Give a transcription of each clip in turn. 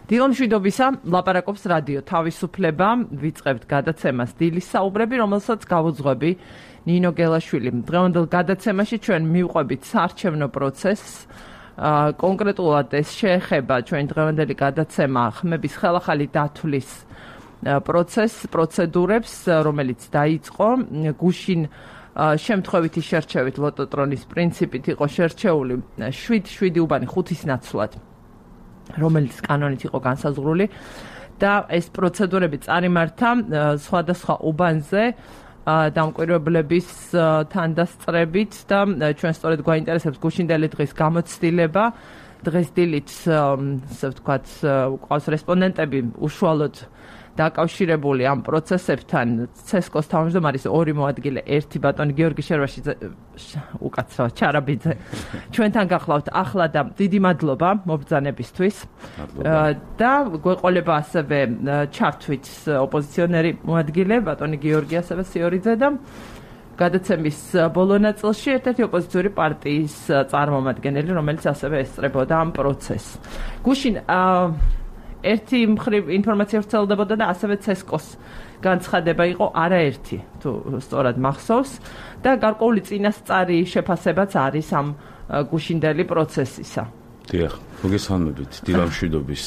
დილამშვიდობისა, ლაპარაკობს რადიო თავისუფლება, ვიწყებთ გადაცემას დილის საუბრები, რომელსაც გავუძღვები ნინო გელაშვილი. დღევანდელ გადაცემაში ჩვენ მივყვებით საარჩევნო პროცესს. კონკრეტულად ეს შეეხება ჩვენ დღევანდელი გადაცემა ხმების ხელახალი დათვლის პროცედურებს, რომელიც დაიწყო გუშინ შემთხვევითი შერჩევით ლოტოტრონის პრინციპით იყო შერჩეული 7 უბანი 5-ის ნაცვლად, რომელიც კანონით იყო განსაზღვრული და ეს პროცედურები წარიმართა სხვადასხვა უბანზე დამკვირვებლების თანდასწრებით და ჩვენ სწორედ გვაინტერესებს გუშინდელი დღის გამოცდილება. დღეს დილით, ასე ვთქვათ, ყავს რესპონდენტები უშუალოდ დაკავშირებული ამ პროცესებთან. CSKO-ს თავმჯდომარის 2 მოადგილე, 1 ბატონი გიორგი შერვაშიძე, უკაცრავად ჩარაბიძე. ჩვენთან გახლავთ ახლა და დიდი მადლობა მობრძანებისთვის. და გვეყოლება ასევე ჩართვით ოპოზიციონერი მოადგილე, ბატონი გიორგი ასევე სიორიძე და გადაცემის ბოლო ნაწილში ერთ-ერთი ოპოზიციური პარტიის წარმომადგენელი, რომელიც ასევე ესწრებოდა ამ პროცესს. გუშინ ერთი მხრივ ინფორმაცია ვრცელდებოდა და ასევე CSKO-ს განცხადება იყო არაერთი, თუ სწორად მახსოვს და გარკვეული წინასწარი შეფასებაც არის ამ გუშინდელი პროცესისა. დიახ, მოგესალმებით, დილამშვიდობის.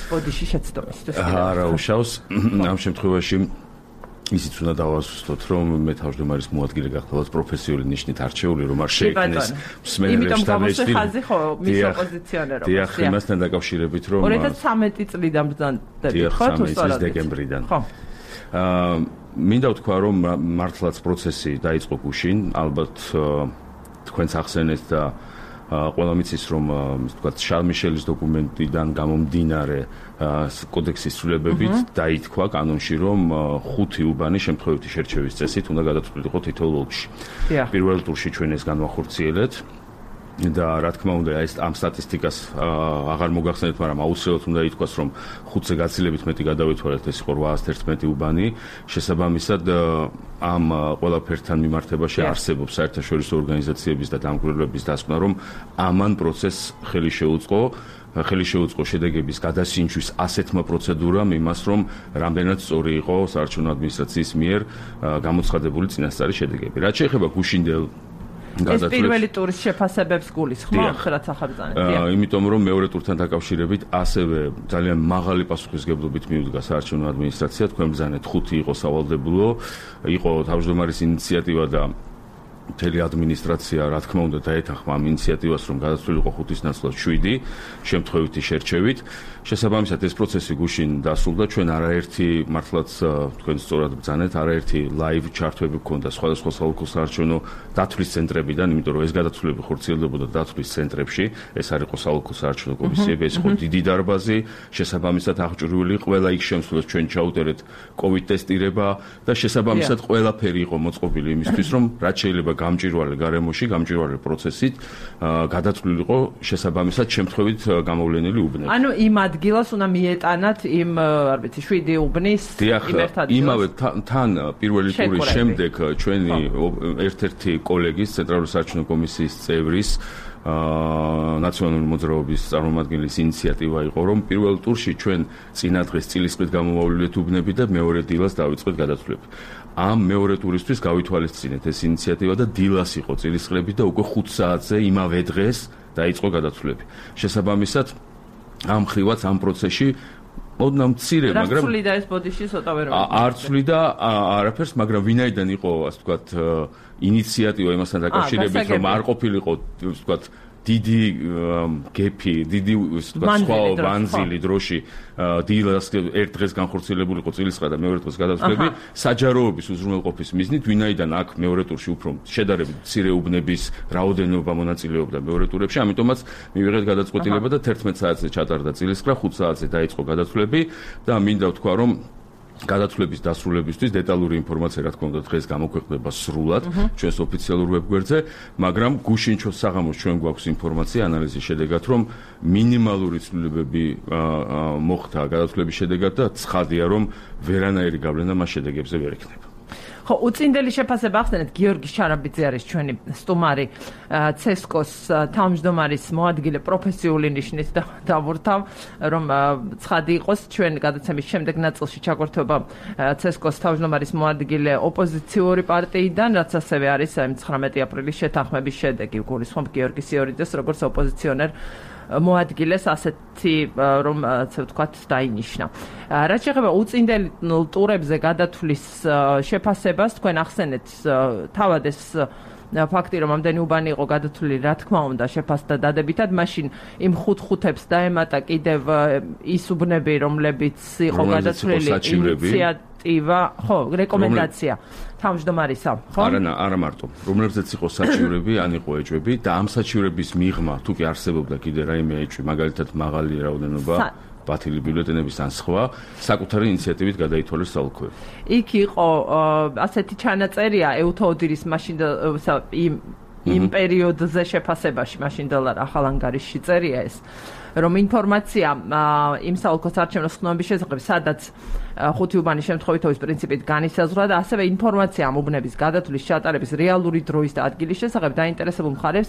ბოდიში შეცდომისთვის. არა უშავს, ამ შემთხვევაში ისიც უნდა დავასუსტოთ, რომ მე თავმჯდომარის მოადგილე გახლავთ პროფესიული ნიშნით არჩეული, რომ არ შეექმნეს მსმენელებს და მეცდი. ხაზი ხო მის ოპოზიციონერობას. დიახ, იმასთან დაკავშირებით, რომ 2013 წლიდან ბრძანდებით, ხო, თუ სწორად დეკემბრიდან. ხო. მინდა ვთქვა, რომ მართლაც პროცესი დაიწყო გუშინ, ალბათ თქვენც ახსენეთ და ყველა მიცის, რომ ვთქვათ, შარლ მიშელის დოკუმენტიდან გამომდინარე კოდექსის ცვლილებებით დაითქვა კანონში, რომ 5 უბანი შემთხვევითი შერჩევის წესით უნდა გადაწყვეტილიყო თითოეულ ოლქში. პირველ ტურში ჩვენ ეს განვახორციელეთ და რა თქმა უნდა ეს ამ სტატისტიკას აღარ მოგახსენეთ, მაგრამ აუცილებლად უნდა ითქვას, რომ 5-ზე გაცილებით მეტი გადავეთვალეთ, ეს იყო 811 უბანი. შესაბამისად ამ ყველაფერთან მიმართებაში არსებობს საერთაშორისო ორგანიზაციების და დამკვირვებლების დასკვნა, რომ ამან პროცესს ხელი შეუწყო შედეგების გადასინჯვის ასეთმა პროცედურამ იმას, რომ რამდენად სწორი იყო საარჩევნო ადმინისტრაციის მიერ გამოცხადებული წინასწარი შედეგები. რაც შეეხება გუშინდელ ეს პირველი ტურის შეფასებებს გულისხმობს, რაც ახალბრძანეთ. იმიტომ რომ მეორე ტურთან დაკავშირებით ასევე ძალიან მაღალი პასუხისმგებლობით მიუდგა საარჩევნო ადმინისტრაცია, თქვენ ბრძანეთ 5 იყო სავალდებულო, იყო თავმჯდომარის ინიციატივა და მთელი ადმინისტრაცია, რა თქმა უნდა, დაეთანხმა ამ ინიციატივას, რომ გადაწყვეტილიყო 5-ის ნაცვლად 7 შემთხვევითი შერჩევით. შესაბამისად ეს პროცესი გუშინ დასრულდა, ჩვენ არაერთი მართლაც თქვენ სწორად ბრძანეთ, არაერთი ლაივ ჩართვები გქონდა სხვადასხვა საოლქო საარჩევნო დათვლის ცენტრებიდან, იმიტომ რომ ეს გადაწყვეტილება ხორციელდებოდა დათვლის ცენტრებში, ეს არ იყო საოლქო საარჩევნო კომისიები, ეს იყო დიდი დარბაზი, შესაბამისად აღჭურვილი ყველა იქ შემსვლელს ჩვენ ჩაუტარეთ COVID ტესტირება და შესაბამისად ყველაფერი იყო მოწყობილი იმისთვის, რომ რაც შეიძლება გამჭვირვალე გარემოში, გამჭვირვალე პროცესით გადაწყვეტილიყო შესაბამისად შემთხვევით გამოვლენილი უბნები. ანუ იმ ადგილას უნდა მიეტანათ იმ, არ ვიცი, 7 უბნის იმ ერთ ადგილას. იმავე თან პირველი ტურის შემდეგ ჩვენი ერთ-ერთი კოლეგის ცენტრალური საარჩევნო კომისიის წევრის ნაციონალური მოძრაობის წარმომადგენლის ინიციატივა იყო, რომ პირველ ტურში ჩვენ წინა დღეს წილისყრით გამომავლილეთ უბნები და მეორე დილას დავიწყეთ გადაწყვეტილება. ამ მეორე ტურისთვის გავითვალისწინეთ ეს ინიციატივა და დილას იყო წილისყრები და უკვე 5 საათზე იმავე დღეს დაიწყო გადაწყვეტილება. შესაბამისად ამ ხრივაც ამ პროცესში ოდნავ მცირე, მაგრამ რაცვლიდა ეს ბოდიში ცოტა ვერ არ ცვლიდა არაფერს, მაგრამ ვინაიდან იყო, ასე ვთქვათ, ინიციატივა იმასთან დაკავშირებით, რომ არ ყოფილიყო, ასე ვთქვათ, დიდი გეფი, დიდი სხვა ვანზილი დროში დილას ერთ დღეს განხორციელებულიყო წილისყრა და მეორე დღეს გადაწყვეტილები საჯაროების უზრუნველყოფის მიზნით, ვინაიდან აქ მეორე ტურში უფრო შედარებით მცირე უბნების რაოდენობა მონაწილეობდა მეორე ტურებში, ამიტომაც მივიღეთ გადაწყვეტილება და 11 საათზე ჩატარდა წილისყრა, 5 საათზე დაიწყო გადაწყვეტილები და მინდა ვთქვა, რომ გადაწყვეტილების დასრულებისთვის დეტალური ინფორმაცია, რა თქმა უნდა, დღეს გამოქვეყნდება სრულად ჩვენს ოფიციალურ ვებგვერდზე, მაგრამ გუშინ საღამოს ჩვენ გვაქვს ინფორმაცია ანალიზის შედეგად, რომ მინიმალური ცვლილებები მოხდა გადაწყვეტილების შედეგად და ცხადია, რომ ვერანაირი გავლენა მას შედეგებზე ვერ ექნება. ხო, უწინდელი შეფასება ახსენეთ, გიორგი შარაბიძე არის ჩვენი სტუმარი, CSKA-ს თავმჯდომარის მოადგილე პროფესიული ნიშნით დავურთავ, რომ ცხადი იყოს ჩვენ გადაცემის შემდეგ ნაწილში ჩაგვერთვება CSKA-ს თავმჯდომარის მოადგილე ოპოზიციური პარტიიდან, რაც ასევე არის 19 აპრილის შეთანხმების შედეგი, გულისხმობ გიორგი სიორიძეს როგორც ოპოზიციონერ მოადგილეს ასეთი რომ ასე ვთქვათ დაინიშნა. რაც შეეხება უწინდელ ტურებზე გადათვლის შეფასებას, თქვენ ახსენეთ თავად ეს ფაქტი, რომ ამდენი უბანი იყო გადათვლილი, რა თქმა უნდა, შეფასდა დადებითად, მაშინ იმ 5-5-ებს დაემატა კიდევ ის უბნები, რომლებიც იყო გადათვლილი ინიციატივა, ხო, რეკომენდაცია თავმჯდომარისა, ხო? არა მარტო, რომლებზეც იყო საჩივრები, ან იყო ეჭვები და ამ საჩივრების მიღმა, თუ კი არსებობდა კიდე რაიმე ეჭვი, მაგალითად მაღალი რაოდენობა ბათილი ბიულეტენების ან სხვა, საკუთარი ინიციატივით გადაითვალეს საოლქოები. იქ იყო ასეთი ჩანაწერია ეუთოოდირის მაშინ იმ პერიოდზე შეფასებაში, მაშინდელ ახალ ანგარიშში წერია ეს, რომ ინფორმაცია იმ საოლქოს არჩევნების ხსნობის შესახებ, სადაც ხუთი უბანი შემთხვევითობის პრინციპით განისაზღვრა და ასევე ინფორმაცია ამ უბნების გადათვლის ჩატარების რეალური დროის და ადგილის შესახებ დაინტერესებულ მხარეს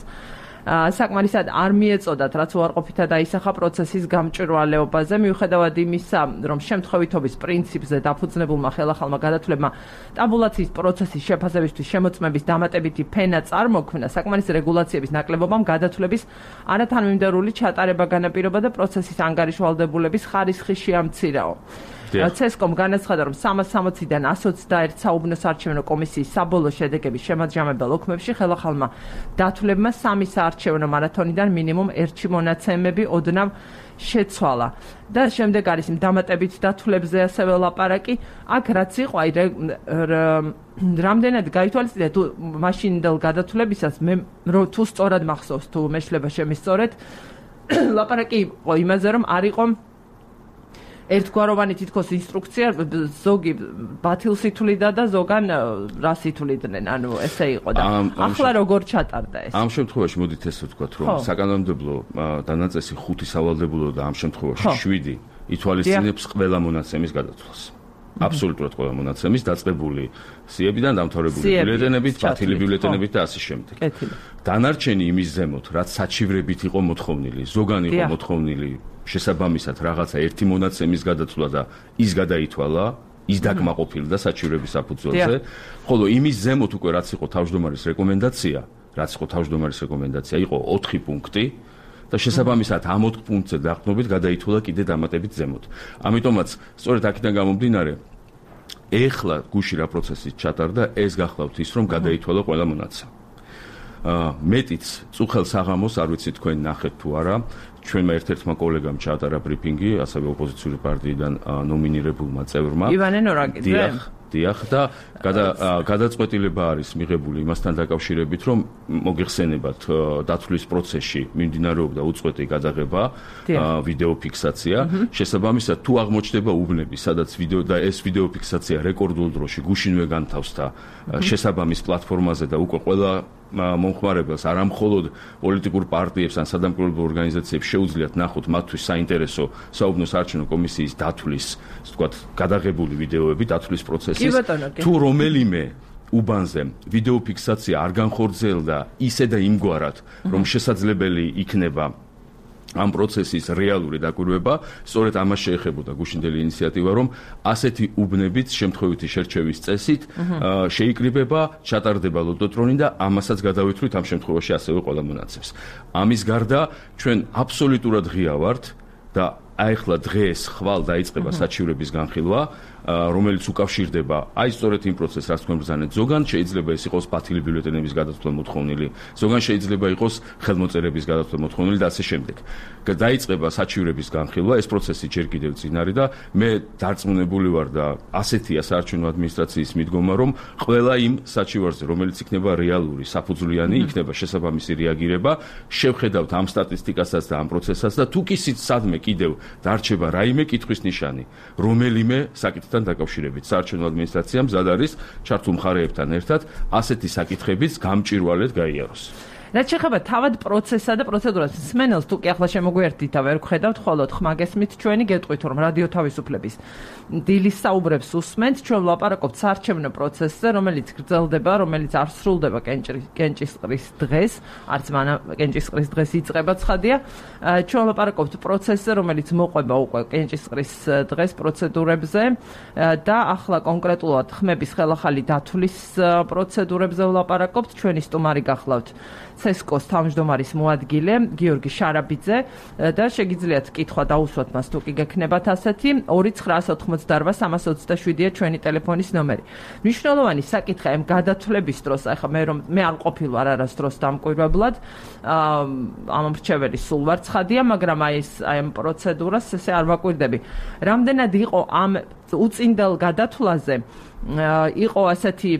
საკმარისად არ მიეწოდათ, რაც უარყოფითად დაისახა პროცესის გამჭვირვალეობაზე, მიუხედავად იმისა, რომ შემთხვევითობის პრინციპზე დაფუძნებულმა ხელახალმა გადათვლებმა ტაბულაციის პროცესის შეფასებისთვის შემოწმების დამატებითი ფენა წარმოქმნა, საკმარისი რეგულაციების ნაკლებობამ გადათვლების არათანმიმდევრული ჩატარება განაპირობა და პროცესის ანგარიშვალდებულების ხარისხი შეამცირაო. CSKA-მ განაცხადა, რომ 360-დან 121 საუბნო საარჩევნო კომისიის საბოლოო შედეგების შემაჯამებელ ოქმებში ხელახალმა დათვლებმა 3 საარჩევნო მარათონიდან მინიმუმ 1 მონაცემები ოდნავ შეცვალა. და შემდეგ არის დამატებით დათვლებზე ასევე ლაპარაკი, აქ რაც იყო, აი რამდენად გაითვალისწინე თუ მაშინდელ გადათვლებისას მე თუ სწორად მახსოვს, თუ მეშლება შემისწორეთ, ლაპარაკი იყო იმაზე, რომ არ იყო ერთგვაროვანი თითქოს ინსტრუქცია, ზოგი ბათილს ითვლიდა და ზოგან რას ითვლიდნენ, ანუ ესე იყო და ახლა როგორ ჩატარდა ეს? ამ შემთხვევაში მოდით ესე ვთქვათ, რომ საკანონმდებლო დანაწესი 5 სავალდებულო და ამ შემთხვევაში 7 ითვალისწინებს ყველა მონაცემის გადათვლას. აბსოლუტურად ყველა მონაცემის დაწყებული სიებიდან დამთავრებული ბიულეტენებით, ბათილი ბიულეტენებით და ასე შემდეგ. დანარჩენი იმის ზემოთ, რაც საჩივრებით იყო მოთხოვნილი, ზოგან იყო მოთხოვნილი შესაბამისად რაღაცა ერთი მონაცემის გადაცვლა და ის გადაითვალა, ის დაკმაყოფილდა საჩივრების საფუძველზე, ხოლო იმის ზემოთ უკვე რაც იყო თავმჯდომარის რეკომენდაცია, იყო 4 პუნქტი და შესაბამისად ამ 4 პუნქტზე დაყრდნობით გადაითვალა კიდე დამატებით ზემოთ. ამიტომაც სწორედ აქედან გამომდინარე, ეხლა გუში რა პროცესი ჩატარდა, ეს გახლავთ ის, რომ გადაითვალა ყველა მონაცემი. მეტიც წუხელ საღამოს, არ ვიცი თქვენ ნახეთ თუ არა, ჩვენმა ერთ-ერთმა კოლეგამ ჩაატარა ბრიფინგი, ასევე ოპოზიციური პარტიიდან ნომინირებულმა წევრმა. ივანე ნორაკიძე. დიახ და გადაწყვეტილება არის მიღებული იმასთან დაკავშირებით, რომ მოგეხსენებათ დათვლის პროცესში მიმდინარეობდა უწყვეტი გადაღება, ვიდეო ფიქსაცია. შესაბამისად, თუ აღმოჩნდება უბნები, სადაც ვიდეო და ეს ვიდეო ფიქსაცია რეკორდულ დროში გუშინვე განთავსდა შესაბამის პლატფორმაზე და უკვე ყველა მომხმარებელს, არა მხოლოდ პოლიტიკურ პარტიებს ან სადამკვირვებლო ორგანიზაციებს შეუძლიათ ნახოთ მათთვის საინტერესო საუბნო საარჩევნო კომისიის დათვლის, ასე ვთქვათ, გადაღებული ვიდეოები, დათვლის პროცესის, თუ რომელიმე უბანზე ვიდეო ფიქსაცია არ განხორციელდა ისე და იმგვარად, რომ შესაძლებელი იქნება ამ პროცესის რეალური დაკვირვება, სწორედ ამას შეეხებოდა გუშინდელი ინიციატივა, რომ ასეთი უბნებით შემთხვევითი შერჩევის წესით შეიკრიბება, ჩატარდება ლოტოტრონი და ამასაც გადავითვლით ამ შემთხვევაში ასევე ყველა მონაცემს. ამის გარდა ჩვენ აბსოლუტურად ღია ვართ და აიხლა დღეს ხვალ დაიწყება საჩივრების განხილვა, რომელიც უკავშირდება აი სწორედ იმ პროცესს, რაც თქვენ ბრძანეთ, ზოგან შეიძლება ეს იყოს ბათილი ბიულეტენების გადათვლა მოთხოვნილი, ზოგან შეიძლება იყოს ხელმოწერების გადათვლა მოთხოვნილი და ასე შემდეგ. დაიწყება საჩივრების განხილვა, ეს პროცესი ჯერ კიდევ წინ არის და მე დარწმუნებული ვარ და ასეთია საარჩევნო ადმინისტრაციის მიდგომა, რომ ყველა იმ საჩივარზე, რომელიც იქნება რეალური, საფუძვლიანი, იქნება შესაბამისი რეაგირება, შევხედავთ ამ სტატისტიკასაც და ამ პროცესსაც და თუ კი სადმე კიდევ დარჩება რაიმე კითხვის ნიშანი, რომელიმე საკითხთან დაკავშირებით საარჩევნო ადმინისტრაციამ მზად არის ჩართულ მხარეებთან ერთად ასეთი საკითხებიც გამჭვირვალედ გაიაროს. რაც შეეხება თავად პროცესსა და პროცედურას, სმენელს თუ კი ახლა შემოგვიერთდით და ვერ გხედავთ, ხოლოდ ხმა გესმით ჩვენი გეტყვით, რომ რადიო თავისუფლების დილის საუბრებს უსმენთ, ჩვენ ვლაპარაკობთ საარჩევნო პროცესზე, რომელიც გრძელდება, რომელიც არ სრულდება კენჭისყრის დღეს, არც მანამ კენჭისყრის დღეს იწყება ცხადია. ჩვენ ვლაპარაკობთ პროცესზე, რომელიც მოყვება უკვე კენჭისყრის დღეს პროცედურებზე და ახლა კონკრეტულად ხმების ხელახალი დათვლის პროცედურებზე ვლაპარაკობთ. ჩვენი სტუმარი გახლავთ CESCO-ს თავმჯდომარის მოადგილე გიორგი შარაბიძე და შეგიძლიათ კითხვა დაუსვათ მას თუ კი გექნებათ ასეთი 2988327-ია ჩვენი ტელეფონის ნომერი. მნიშვნელოვანი საკითხი ამ გადათვლების დროს, ახლა მე არ ყოფილ ვარ არასდროს დამკვირვებლად, ამ მრჩეველი სულ ვარ ცხადია, მაგრამ აი ამ პროცედურას ესე არ ვაკვირდები. რამდენად იყო ამ უწინდელ გადათვლაზე იყო ასეთი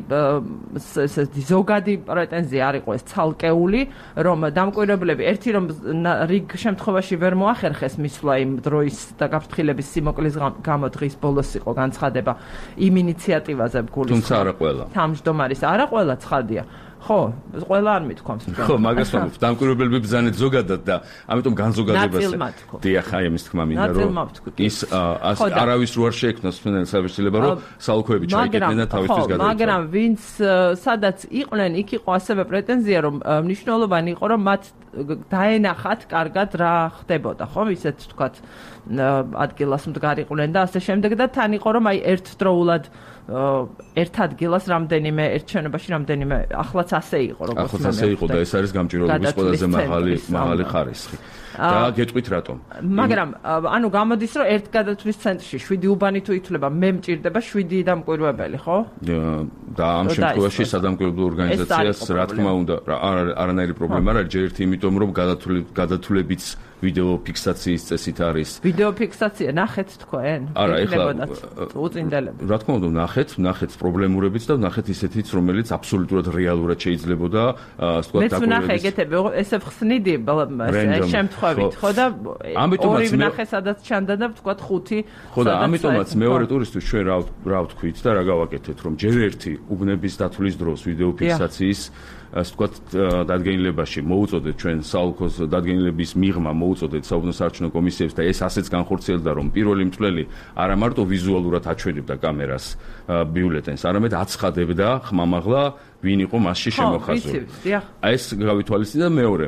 ზოგადი პრეტენზია არ იყო ეს ცალკეული, რომ დამკვირვებლები ერთი რომ რიგ შემთხვევაში ვერ მოახერხეს მისვლა იმ დროის და გაფრთხილების სიმოკლის გამო დღის ბოლოს იყო განცხადება იმ ინიციატივაზე გულის. თუმცა არა ყველა. თავმჯდომარის არა ყველა ცხადია. ხო, ყველა არ მithქვამს. ხო, მაგას ვამბობ, დამკვირვებლები ბრძანეთ ზოგადად და ამიტომ განზოგადებაზე. დიახ, აი ამის თქმა მინდა რომ ის არავის რო არ შეექმნას შეიძლება რომ საალქოები ჩაიკეტნენ და თავისთვის გადაიწყდნენ. მაგრამ ვინც სადაც იყვნენ, იქ იყო ასევე პრეტენზია რომ მნიშვნელოვანი იყო რომ მათ დაენახათ კარგად რა ხდებოდა, ხო, ისეთ თქვათ ადგილას მდგარიყვნენ და ასე შემდეგ და თან იყო რომ აი ერთდროულად ერთ ადგილას რამდენიმე ერთ შენობაში რამდენიმე ახლაც ასე იყო როგორც ახლაც ასე იყო და ეს არის გამჭირვალობის ყველაზე მაღალი ხარისხი და გეტყვით რატომ მაგრამ ანუ გამოდის რომ ერთ გადათვლის ცენტრში 7 უბანი თუ ითვლება მე მჭირდება 7 დამკვირვებელი ხო და ამ შემთხვევაში სადამკვირვებლო ორგანიზაციას რა თქმა უნდა არანაირი პრობლემა არ არის ჯერ ერთი იმიტომ რომ გადათვლებიც ვიდეო ფიქსაციის წესით არის ვიდეო ფიქსაცია ნახეთ თქვენ არა ეხლა უწინდელები რა თქმა უნდა ნახეთ პრობლემურებიც და ნახეთ ისეთიც რომელიც აბსოლუტურად რეალურად შეიძლებოდა ასე ვთქვათ დაკვირვების მეც ნახე ეგეთები ესე ხსნიდი შემთხვევით ხო და ორი ნახე სადაც ჩანდა და ვთქვათ 5 ხო და ამიტომაც მეორე ტურისტის ჩვენ რა ვთქვით და რა გავაკეთეთ რომ ჯერ ერთი უბნების დათვლის დროს ვიდეო ფიქსაციის ასე ვთქვათ დადგენილებაში მოუწოდეთ ჩვენ საალქოს დადგენილების მიღმა მოუწოდეთ საუბნო საარჩევნო კომისიებს და ეს ასეც განხორციელდა რომ პირველი მწვლელი არა მარტო ვიზუალურად აჩვენებდა კამერას ბიულეტენს არამედ აცხადებდა ხმამაღლა ვინ იყო მასში შემოხაზული. აი ეს გავითვალისწინეთ და მეორე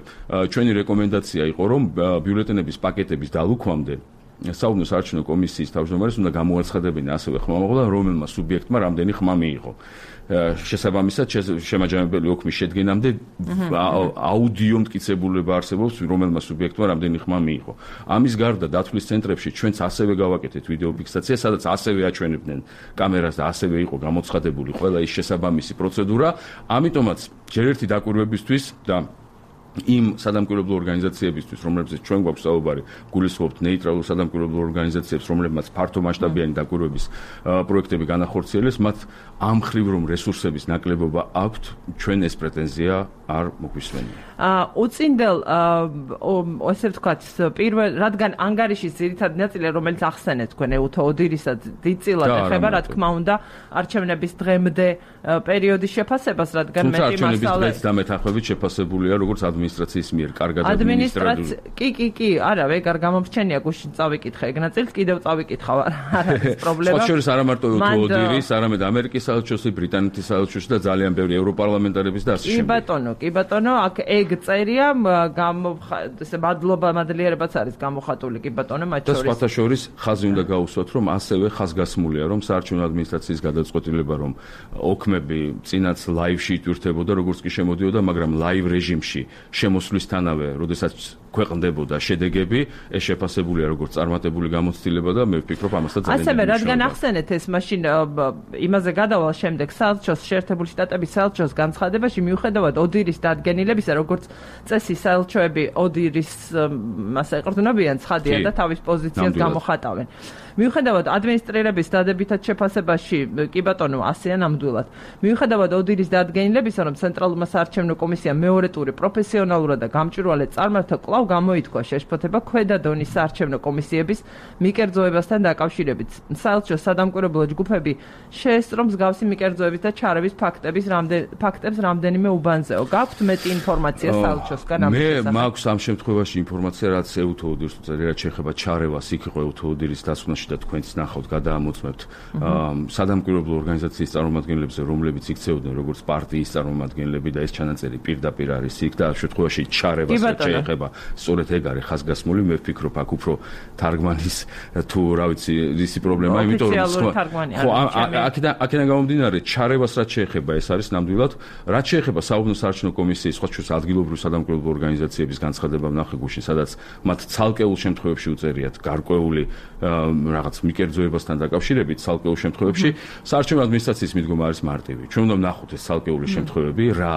ჩვენი რეკომენდაცია იყო რომ ბიულეტენების პაკეტების დალუქვამდე საუბნო საარჩევნო კომისიის თავმჯდომარეს უნდა გამოაცხადებინა ასევე ხმამაღლა რომელმა სუბიექტმა რამდენი ხმა მიიღო. შესაბამისად შემაჯამებელი ოქმის შედგენამდე აუდიო მტკიცებულება არსებობს რომელმა სუბიექტმა რამდენი ხმა მიიღო. ამის გარდა დათვლის ცენტრებში ჩვენც ასევე გავაკეთეთ ვიდეო ფიქსაცია, სადაც ასევე აჩვენებდნენ კამერას და ასევე იყო გამოცხადებული ყველა ის შესაბამისი პროცედურა. ამიტომაც ჯერ ერთი დაკვირვებისთვის და იმ სადამკვირვებლო ორგანიზაციებისთვის, რომლებზეც ჩვენ გვაქვს საუბარი, გულისხმობთ ნეიტრალურ სადამკვირვებლო ორგანიზაციებს, რომლებმაც ფართო მასშტაბიანი დაკვირვების პროექტები განახორციელეს, მათ ამ ხრივ რომ რესურსების ნაკლებობა აქვთ, ჩვენ ეს პრეტენზია არ მოგვისმენია. უწინდელ ასე ვთქვათ, რადგან ანგარიშის ძირითადი ნაწილი, რომელიც ახსენეთ თქვენ ეუთო ოდირისაც დიდწილად ეხება, რა თქმა უნდა, არჩევნების დღემდე პერიოდის შეფასებას, რადგან მეტი მასალა არჩევნების დღეს დამეთანხმებით შეფასებულია როგორც ადმინისტრაციის მიერ კარგად ადმინისტრირებული. კი, არა, ეგარ გამომრჩენია გუშინ წავიკითხე ეგ ნაწილს, კიდევ წავიკითხავ, არ არის პრობლემა. სხვა შორის არა მარტო ოდირის, არამედ ამერიკის საელჩოსი, ბრიტანეთის საელჩოსი და ძალიან ბევრი ევროპარლამენტარების და ასე შემდეგ. კი ბატონო, აქ ეგ წერია, ესე მადლიერებაც არის გამოხატული კი ბატონო, მათ შორის. და სხვათა შორის ხაზი უნდა გაუსვათ, რომ ასევე ხაზგასმულია, რომ საარჩევნო ადმინისტრაციის გადაწყვეტილება, რომ ოქმები წინაც ლაივში იტვირთებოდა, როგორც კი შემოდიოდა, მაგრამ ლაივ რეჟიმში შემოსვლისთანავე, როდესაც ქვეყნდებოდა შედეგები, ეს შეფასებულია როგორც წარმატებული გამოცდილება და მე ვფიქრობ ამასაც ძალიან ასევე რადგან ახსენეთ ეს მაშინ იმაზე გადავალ შემდეგ საელჩოს შეერთებული შტატების საელჩოს განცხადებაში მიუხედავად ოდირის დადგენილებისა, როგორც წესი საელჩოები ოდირის მასა ეყრდნობიან ცხადია და თავის პოზიციას გამოხატავენ. მიუხედავად ადმინისტრირების დადებითად შეფასებაში კი ბატონო ასეა ნამდვილად. მიუხედავად ოდირის დადგენილებისა, რომ ცენტრალურმა საარჩევნო კომისიამ მეორე ტური პროფესიონალურად და გამჭვირვალედ წარმართა, კვლავ გამოითქვა შეშფოთება ქვედა დონის საარჩევნო კომისიების მიკერძოებასთან დაკავშირებით. საელჩო სადამკვირვებლო ჯგუფები შეესწრო მსგავსი მიკერძოების და ჩარევის ფაქტებს რამდენიმე უბანზეო. გაქვთ მეტი ინფორმაცია საელჩოსგან ამ შესახებ? მე მაქვს ამ შემთხვევაში ინფორმაცია, რაც ეუთო ოდირს უწევს, რაც შეეხება ჩარევას, იქ იყო ეუთო ოდირის დასკვნაში და თქვენც ნახავთ, გადაამოწმებთ სადამკვირვებლო ორგანიზაციის წარმომადგენლებზე, რომლებიც იქცეოდნენ როგორც პარტიის წარმომადგენლები და ეს ჩანაწერი პირდაპირ არის იქ და ამ შემთხვევაში ჩარევას შეეხება. სწორედ ეგ არის ხაზგასმული, მე ვფიქრობ, აქ უფრო თარგმანის თუ რა ვიცი, ისი პრობლემა, იმიტომ რომ აქედან გამომდინარე, ჩარევას რაც შეეხება, ეს არის ნამდვილად, რაც შეეხება საუბნო საარჩევნო კომისიის სხვა ჩვენს ადგილობრივ სადამკვირვებლო ორგანიზაციების განცხადება ვნახე გუშინ, სადაც მათ ცალკეულ შემთხვევებში უწერიათ გარკვეული რაღაც მიკერძოებასთან დაკავშირებით, ცალკეულ შემთხვევებში საარჩევნო ადმინისტრაციის მიდგომა არის მარტივი. ჩვენ უნდა ვნახოთ ეს ცალკეული შემთხვევები, რა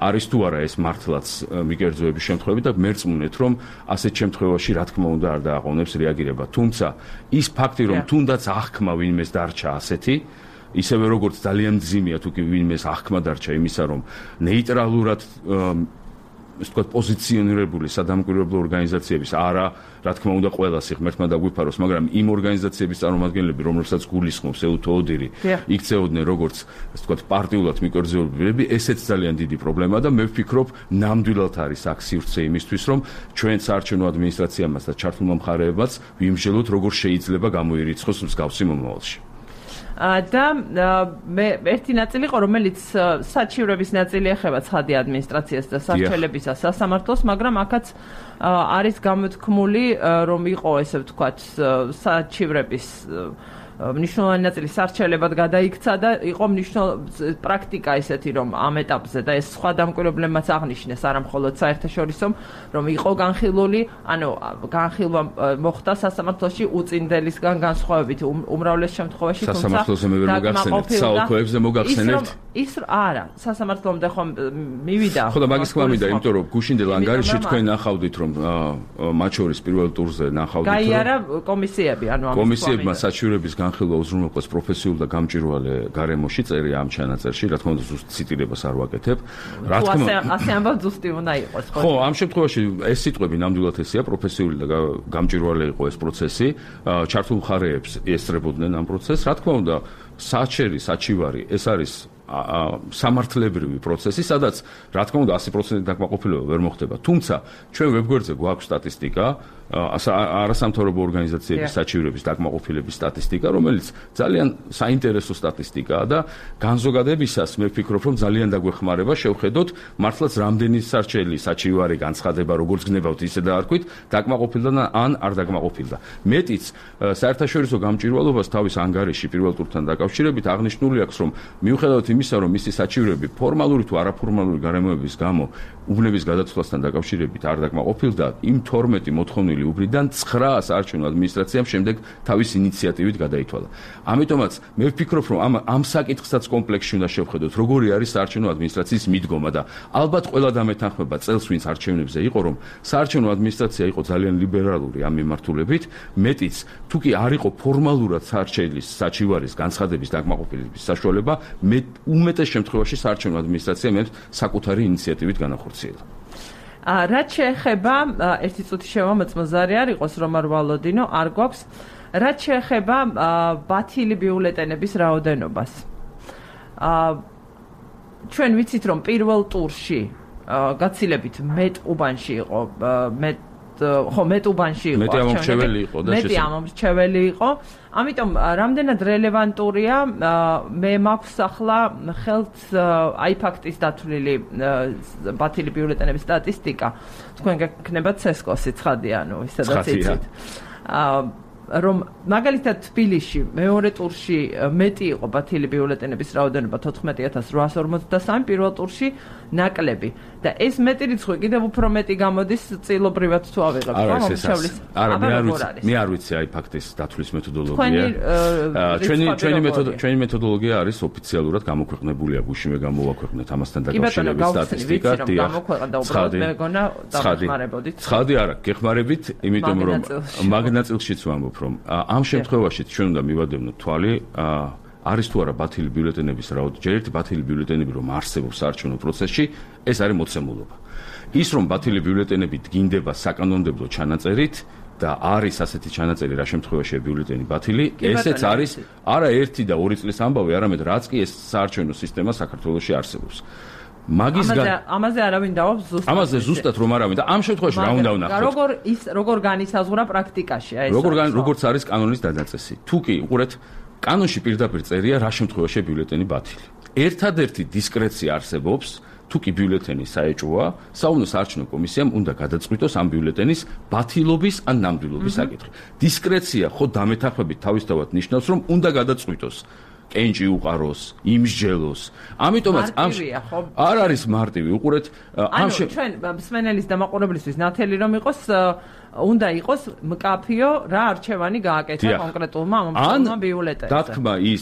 არის თუ არა ეს მართლაც მიკერძოების შემთხვევები და მერწმუნეთ, რომ ასეთ შემთხვევაში რა თქმა უნდა არ დააყოვნებს რეაგირება. თუმცა ის ფაქტი, რომ თუნდაც აღქმა ვინმეს დარჩა ასეთი, ისევე როგორც ძალიან მძიმეა თუ კი ვინმეს აღქმა დარჩა იმისა, რომ ნეიტრალურად ეს თქვა პოზიციონირებული სადამკვირვებლო ორგანიზაციების არა, რა თქმა უნდა, ყველას ღმერთმა დაგვიფაროს, მაგრამ იმ ორგანიზაციების წარმომადგენლები, რომლებსაც გულისხმობს ეუთო ოდირი, იქცეოდნენ როგორც ეს თქვა პარტიულად მიკერძოებები, ესეც ძალიან დიდი პრობლემაა და მე ვფიქრობ, ნამდვილად არის აქ სივრცე იმისთვის, რომ ჩვენ საარჩევნო ადმინისტრაციამაც და ჩართულმა მხარეებმაც ვიმსჯელოთ, როგორ შეიძლება გამოირიცხოს მსგავსი მომავალში. და მე ერთი ნაწილი იყო, რომელიც საჩივრების ნაწილი ეხება ცხადი ადმინისტრაციას და სარჩელებისა სასამართლოს, მაგრამ აქაც არის გამოთქმული, რომ იყო ესე ვთქვათ საჩივრების მნიშვნელოვანი ნაწილი სარჩელებად გადაიქცა და იყო პრაქტიკა ესეთი, რომ ამ ეტაპზე და ეს სხვა დამკვირვებლებმაც აღნიშნეს, არა მხოლოდ საერთაშორისო, რომ იყო განხილული, ანუ განხილვა მოხდა სასამართლოში უწინდელისგან განსხვავებით, უმრავლეს შემთხვევაში, თუმცა სასამართლოზე მე ვერ მოგახსენებთ, საოლქოებზე მოგახსენებთ. ის არა, სასამართლომდე ხომ მივიდა. ხო და მაგის თქმა მინდა, იმიტომ რომ გუშინდელ ანგარიშში თქვენ ნახავდით, რომ მათ შორის პირველ ტურზე ნახავდით, რომ გაიარა კომისიები, ანუ ამის კომისიებმა საჩივრების განხილვა უზრუნველყოფს პროფესიულ და გამჭვირვალე გარემოში წერია ამ ჩანაწერში, რა თქმა უნდა ზუსტ ციტირებას არ ვაკეთებ. რა თქმა უნდა, ასე ამბავ ზუსტი უნდა იყოს. ხო, ამ შემთხვევაში ეს სიტყვები ნამდვილად ესეა, პროფესიული და გამჭვირვალე იყო ეს პროცესი, ჩართულ მხარეებს ესწრებოდნენ ამ პროცესს. რა თქმა უნდა, საჩივარი ეს არის სამართლებრივი პროცესი, სადაც რა თქმა უნდა 100% დაკმაყოფილება ვერ მოხდება. თუმცა ჩვენ ვებგვერდზე გვაქვს სტატისტიკა, არასამთავრობო ორგანიზაციების საჩივრების დაკმაყოფილების სტატისტიკა, რომელიც ძალიან საინტერესო სტატისტიკაა და განზოგადებისას მე ვფიქრობ, რომ ძალიან დაგვეხმარება შევხედოთ მართლაც რამდენი სარჩელი საჩივარი განცხადება, როგორც გნებავთ, ისე დაარქვით, დაკმაყოფილდა ან არ დაკმაყოფილდა. მეტიც საერთაშორისო გამჭვირვალობას თავის ანგარიში პირველ ტურთან დაკავშირებით აღნიშნული აქვს, რომ მიუხედავად იმისა, რომ მისი საჩივრები ფორმალური თუ არაფორმალური გარემოების გამო უბნების გადაცვლასთან დაკავშირებით არ დაკმაყოფილდა, იმ 12 მოთხოვნილი უბრიდან 9 საარჩევნო ადმინისტრაციამ შემდეგ თავის ინიციატივით გადაითვალა. ამიტომაც მე ვფიქრობ, რომ ამ საკითხსაც კომპლექსში უნდა შევხედოთ, როგორი არის საარჩევნო ადმინისტრაციის მიდგომა და ალბათ ყველა დამეთანხმება წელს, ვინც არჩევნებზე იყო, რომ საარჩევნო ადმინისტრაცია იყო ძალიან ლიბერალური ამ მიმართულებით, მეტიც თუ კი არ იყო ფორმალურად საარჩევნლის საჩივარის განცხადების დაკმაყოფილების საშუალება, უმეტეს შემთხვევაში საარჩევნო ადმინისტრაცია მე საკუთარი ინიციატივით განახორციელა. რაც შეეხება ერთი წუთი შევამოწმო არ იყოს რომ არ ვალოდინო, არ გვაქვს. რაც შეეხება ბათილი ბიულეტენების რაოდენობას. ჩვენ ვიცით რომ პირველ ტურში გაცილებით მეტ უბანში იყო, მეტ უბანში იყო. მეტი ამომრჩეველი იყო და მეტი ამომრჩეველი იყო. ამიტომ რამდენად რელევანტურია მე მაქვს ახლა ხელთ აი ფაქტის დათვლილი ბათილი ბიულეტენების სტატისტიკა. თქვენ გეკნებათ ცესკოსი ცხადი, ანუ ისედაც იცით. რომ მაგალითად თბილისში მეორე ტურში მეტი იყო ბათილი ბიულეტენების რაოდენობა 14843, პირველ ტურში ნაკლები და ეს მეტი რიცხვი კიდევ უფრო მეტი გამოდის წილობრივად თუ ავიღებთ მომრჩევლის. არა, მე არ ვიცი აი ფაქტის დათვლის მეთოდოლოგია. ჩვენი მეთოდოლოგია არის ოფიციალურად გამოქვეყნებულია, გუშინვე გამოვაქვეყნეთ ამასთან დაკავშირებით სტატისტიკა. ცხადი არა, გეხმარებით, იმიტომ რომ მაგ ნაწილშიც ვამბობ. ვამბობ, რომ ამ შემთხვევაში ჩვენ უნდა მივადევნოთ თვალი, არის თუ არა ბათილი ბიულეტენების რაოდენობა, ჯერ ერთი ბათილი ბიულეტენები რომ არსებობს საარჩევნო პროცესში, ეს არის მოცემულობა. ის რომ ბათილი ბიულეტენები დგინდება საკანონმდებლო ჩანაწერით და არის ასეთი ჩანაწერი რა შემთხვევაშია ბიულეტენი ბათილი, ესეც არის არა 1 და 2 წლის ამბავი, არამედ რაც კი ეს საარჩევნო სისტემა საქართველოში არსებობს. ამაზე არავინ დავობს ზუსტად. ამაზე ზუსტად რომ არავინ და ამ შემთხვევაში რა უნდა ვნახოთ? როგორ განისაზღვრა პრაქტიკაში ეს? როგორც არის კანონის დადაწესი. თუ კი უყურეთ, კანონში პირდაპირ წერია რა შემთხვევაშია ბიულეტენი ბათილი. ერთადერთი დისკრეცია არსებობს, თუ კი ბიულეტენი საეჭვოა, საუნო საარჩევნო კომისიამ უნდა გადაწყვიტოს ამ ბიულეტენის ბათილობის ან ნამდვილობის საკითხი. დისკრეცია ხო დამეთანხმებით თავისთავად ნიშნავს, რომ უნდა გადაწყვიტოს. კენჭი უყაროს, იმსჯელოს. ამიტომაც არ არის მარტივი. უყურეთ, ჩვენ მსმენელის და მაყურებლისთვის ნათელი რომ იყოს, უნდა იყოს მკაფიო რა არჩევანი გააკეთა კონკრეტულმა მომხდარმა ბიულეტენზე. დათქმა ის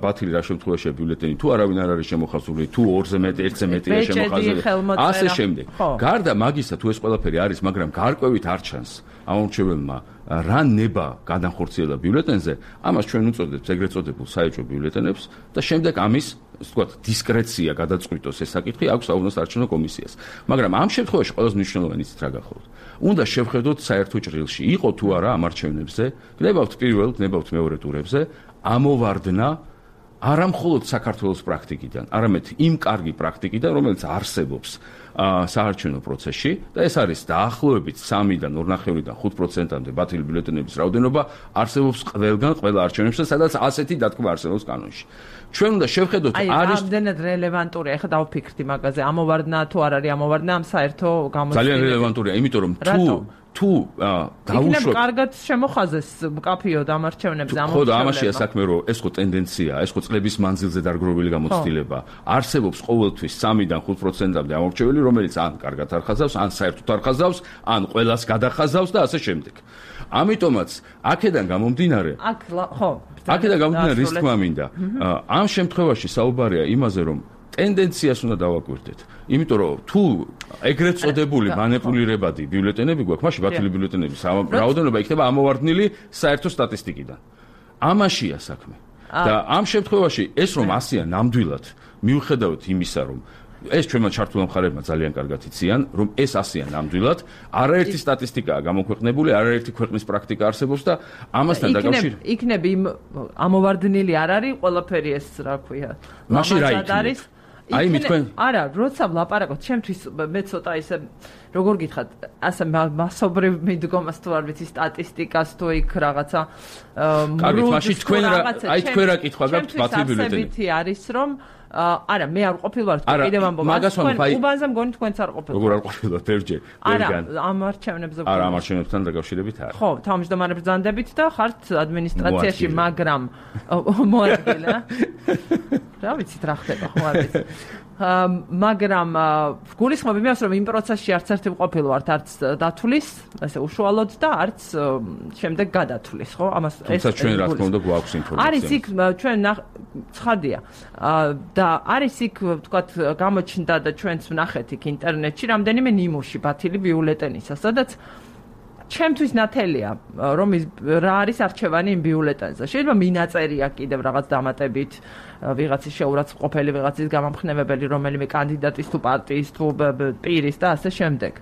ბათილი რა შემთხვევაშია ბიულეტენი, თუ არავინ არ არის შემოხაზული, თუ 2-ზე მეტი, 1-ზე მეტია შემოხაზული. ასე შემდეგ. გარდა მაგისა, თუ ეს ყველაფერი არის, მაგრამ გარკვევით არ ჩანს ამომრჩეველმა რა ნება გადახორციელა ბიულეტენზე, ამას ჩვენ უწოდებთ ეგრეთ წოდებულ საეჭვო ბიულეტენებს და შემდეგ ამის, ასე ვთქვათ, დისკრეცია გადაწყვიტოს ეს საკითხი აქვს საუნო საარჩევნო კომისიას. მაგრამ ამ შემთხვევაში ყველაზე მნიშვნელოვანი ის რა გახოლოდ. უნდა შევხედოთ საერთო ჭრილში, იყო თუ არა ამ არჩევნებზე, გნებავთ პირველ, გნებავთ მეორე ტურებზე, ამოვარდნა არა მხოლოდ საქართველოს პრაქტიკიდან, არამედ იმ კარგი პრაქტიკიდან, რომელიც არსებობს საარჩევნო პროცესში და ეს არის დაახლოებით 3-დან 2.5-დან 5%-მდე ბათილი ბიულეტენების რაოდენობა არსებობს ყველგან, ყველა არჩევნებში, სადაც ასეთი დათქმა არსებობს კანონში. ჩვენ უნდა შევხედოთ არის რამდენად რელევანტურია, ეხლა დავფიქრდი მაგაზე, ამოვარდნა თუ არ არის ამოვარდნა ამ საერთო გამოცდილებას. ძალიან რელევანტურია, იმიტომ რომ თუ დაუშვებ კარგად შემოხაზეს მკაფიო დამარჩევნებზე ამოწმება. ხო და ამაშია საქმე, რომ ეს ხო ტენდენცია, ეს ხო წლების მანძილზე დარგროვილი გამოცდილება. არსებობს ყოველთვის 3-დან 5%-მდე ამორჩეველი, რომელიც ან კარგად არ ხაზავს, ან საერთოდ არ ხაზავს, ან ყველას გადახაზავს და ასე შემდეგ. ამიტომაც აქედან გამომდინარე რის თქმა მინდა, ამ შემთხვევაში საუბარია იმაზე, რომ ტენდენციას უნდა დავაკვირდეთ. იმიტომ რომ თუ ეგრეთ წოდებული მანიპულირებადი ბიულეტენები გვაქვს, მაშინ ბათილი ბიულეტენების რაოდენობა იქნება ამოვარდნილი საერთო სტატისტიკიდან. ამაშია საქმე. და ამ შემთხვევაში ეს რომ 100-ია ნამდვილად, მიუხედავად იმისა, რომ ეს ჩვენმა ჩართულმა მხარეებმა ძალიან კარგად იციან, რომ ეს 100-ია ნამდვილად, არაერთი სტატისტიკაა გამოქვეყნებული, არაერთი ქვეყნის პრაქტიკა არსებობს და ამასთან დაკავშირებით იქნებ იმ ამოვარდნილი არ არის ყველაფერი ეს რა ქვია. მაშინ რა იქნება? აი მითქვენ არა, როცა ვლაპარაკობ, ჩემთვის მე ცოტა ისე როგორ გითხრათ, ასე მასობრივ მიდგომას თუ არ ვიცი სტატისტიკას თუ იქ რაღაცა კარგით, მაშინ თქვენ რა კითხვა გაქვთ ბათილი ბიულეტენი? ასეთი არის რომ არა, მე არ ყოფილვარ კიდევ ამბობ. უბანზე მგონი თქვენც არ ყოფილვართ. როგორ არ ყოფილვართ ბერჯერ? არა, ამ არჩევნებზე არა, ამ არჩევნებთან დაკავშირებით არა. ხო, თავმჯდომარე ბრძანდებით და ხართ ადმინისტრაციაში, მაგრამ მოადგილე. რა ვიცით რა ხდება, ხო არ ვიცი. მაგრამ გულისხმობ იმას, რომ იმ პროცესში არც ერთი ყოფილვართ, არც დათვლის, ასე უშუალოდ და არც შემდეგ გადათვლის, ხო? ამას თუმცა ჩვენ რა თქმა უნდა გვაქვს ინფორმაცია. არის იქ ჩვენ ცხადია. და არის იქ, ვთქვათ, გამოჩნდა და ჩვენც ვნახეთ იქ ინტერნეტში რამდენიმე ნიმუში ბათილი ბიულეტენისა, სადაც ჩემთვის ნათელია, რომ რა არის არჩევანი იმ ბიულეტენზე. შეიძლება მინაწერია კიდევ რაღაც დამატებით, ვიღაცის შეურაცხმყოფელი, ვიღაცის გამამხნევებელი, რომელიმე კანდიდატის თუ პარტიის თუ პირის და ასე შემდეგ.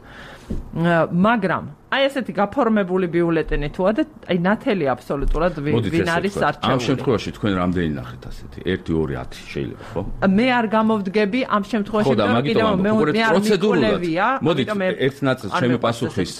მაგრამ აი ესეთი გაფორმებული ბიულეტენი თუა და აი ნათელი აბსოლუტურად ვინ არის არჩეული. ამ შემთხვევაში თქვენ რამდენი ნახეთ ასეთი? 1, 2, 10 შეიძლება, ხო? მე არ გამოვდგები ამ შემთხვევაში, რომ კიდევ მე არ მიკოლევია. მოდით ერთ ნაწილს ჩემი პასუხის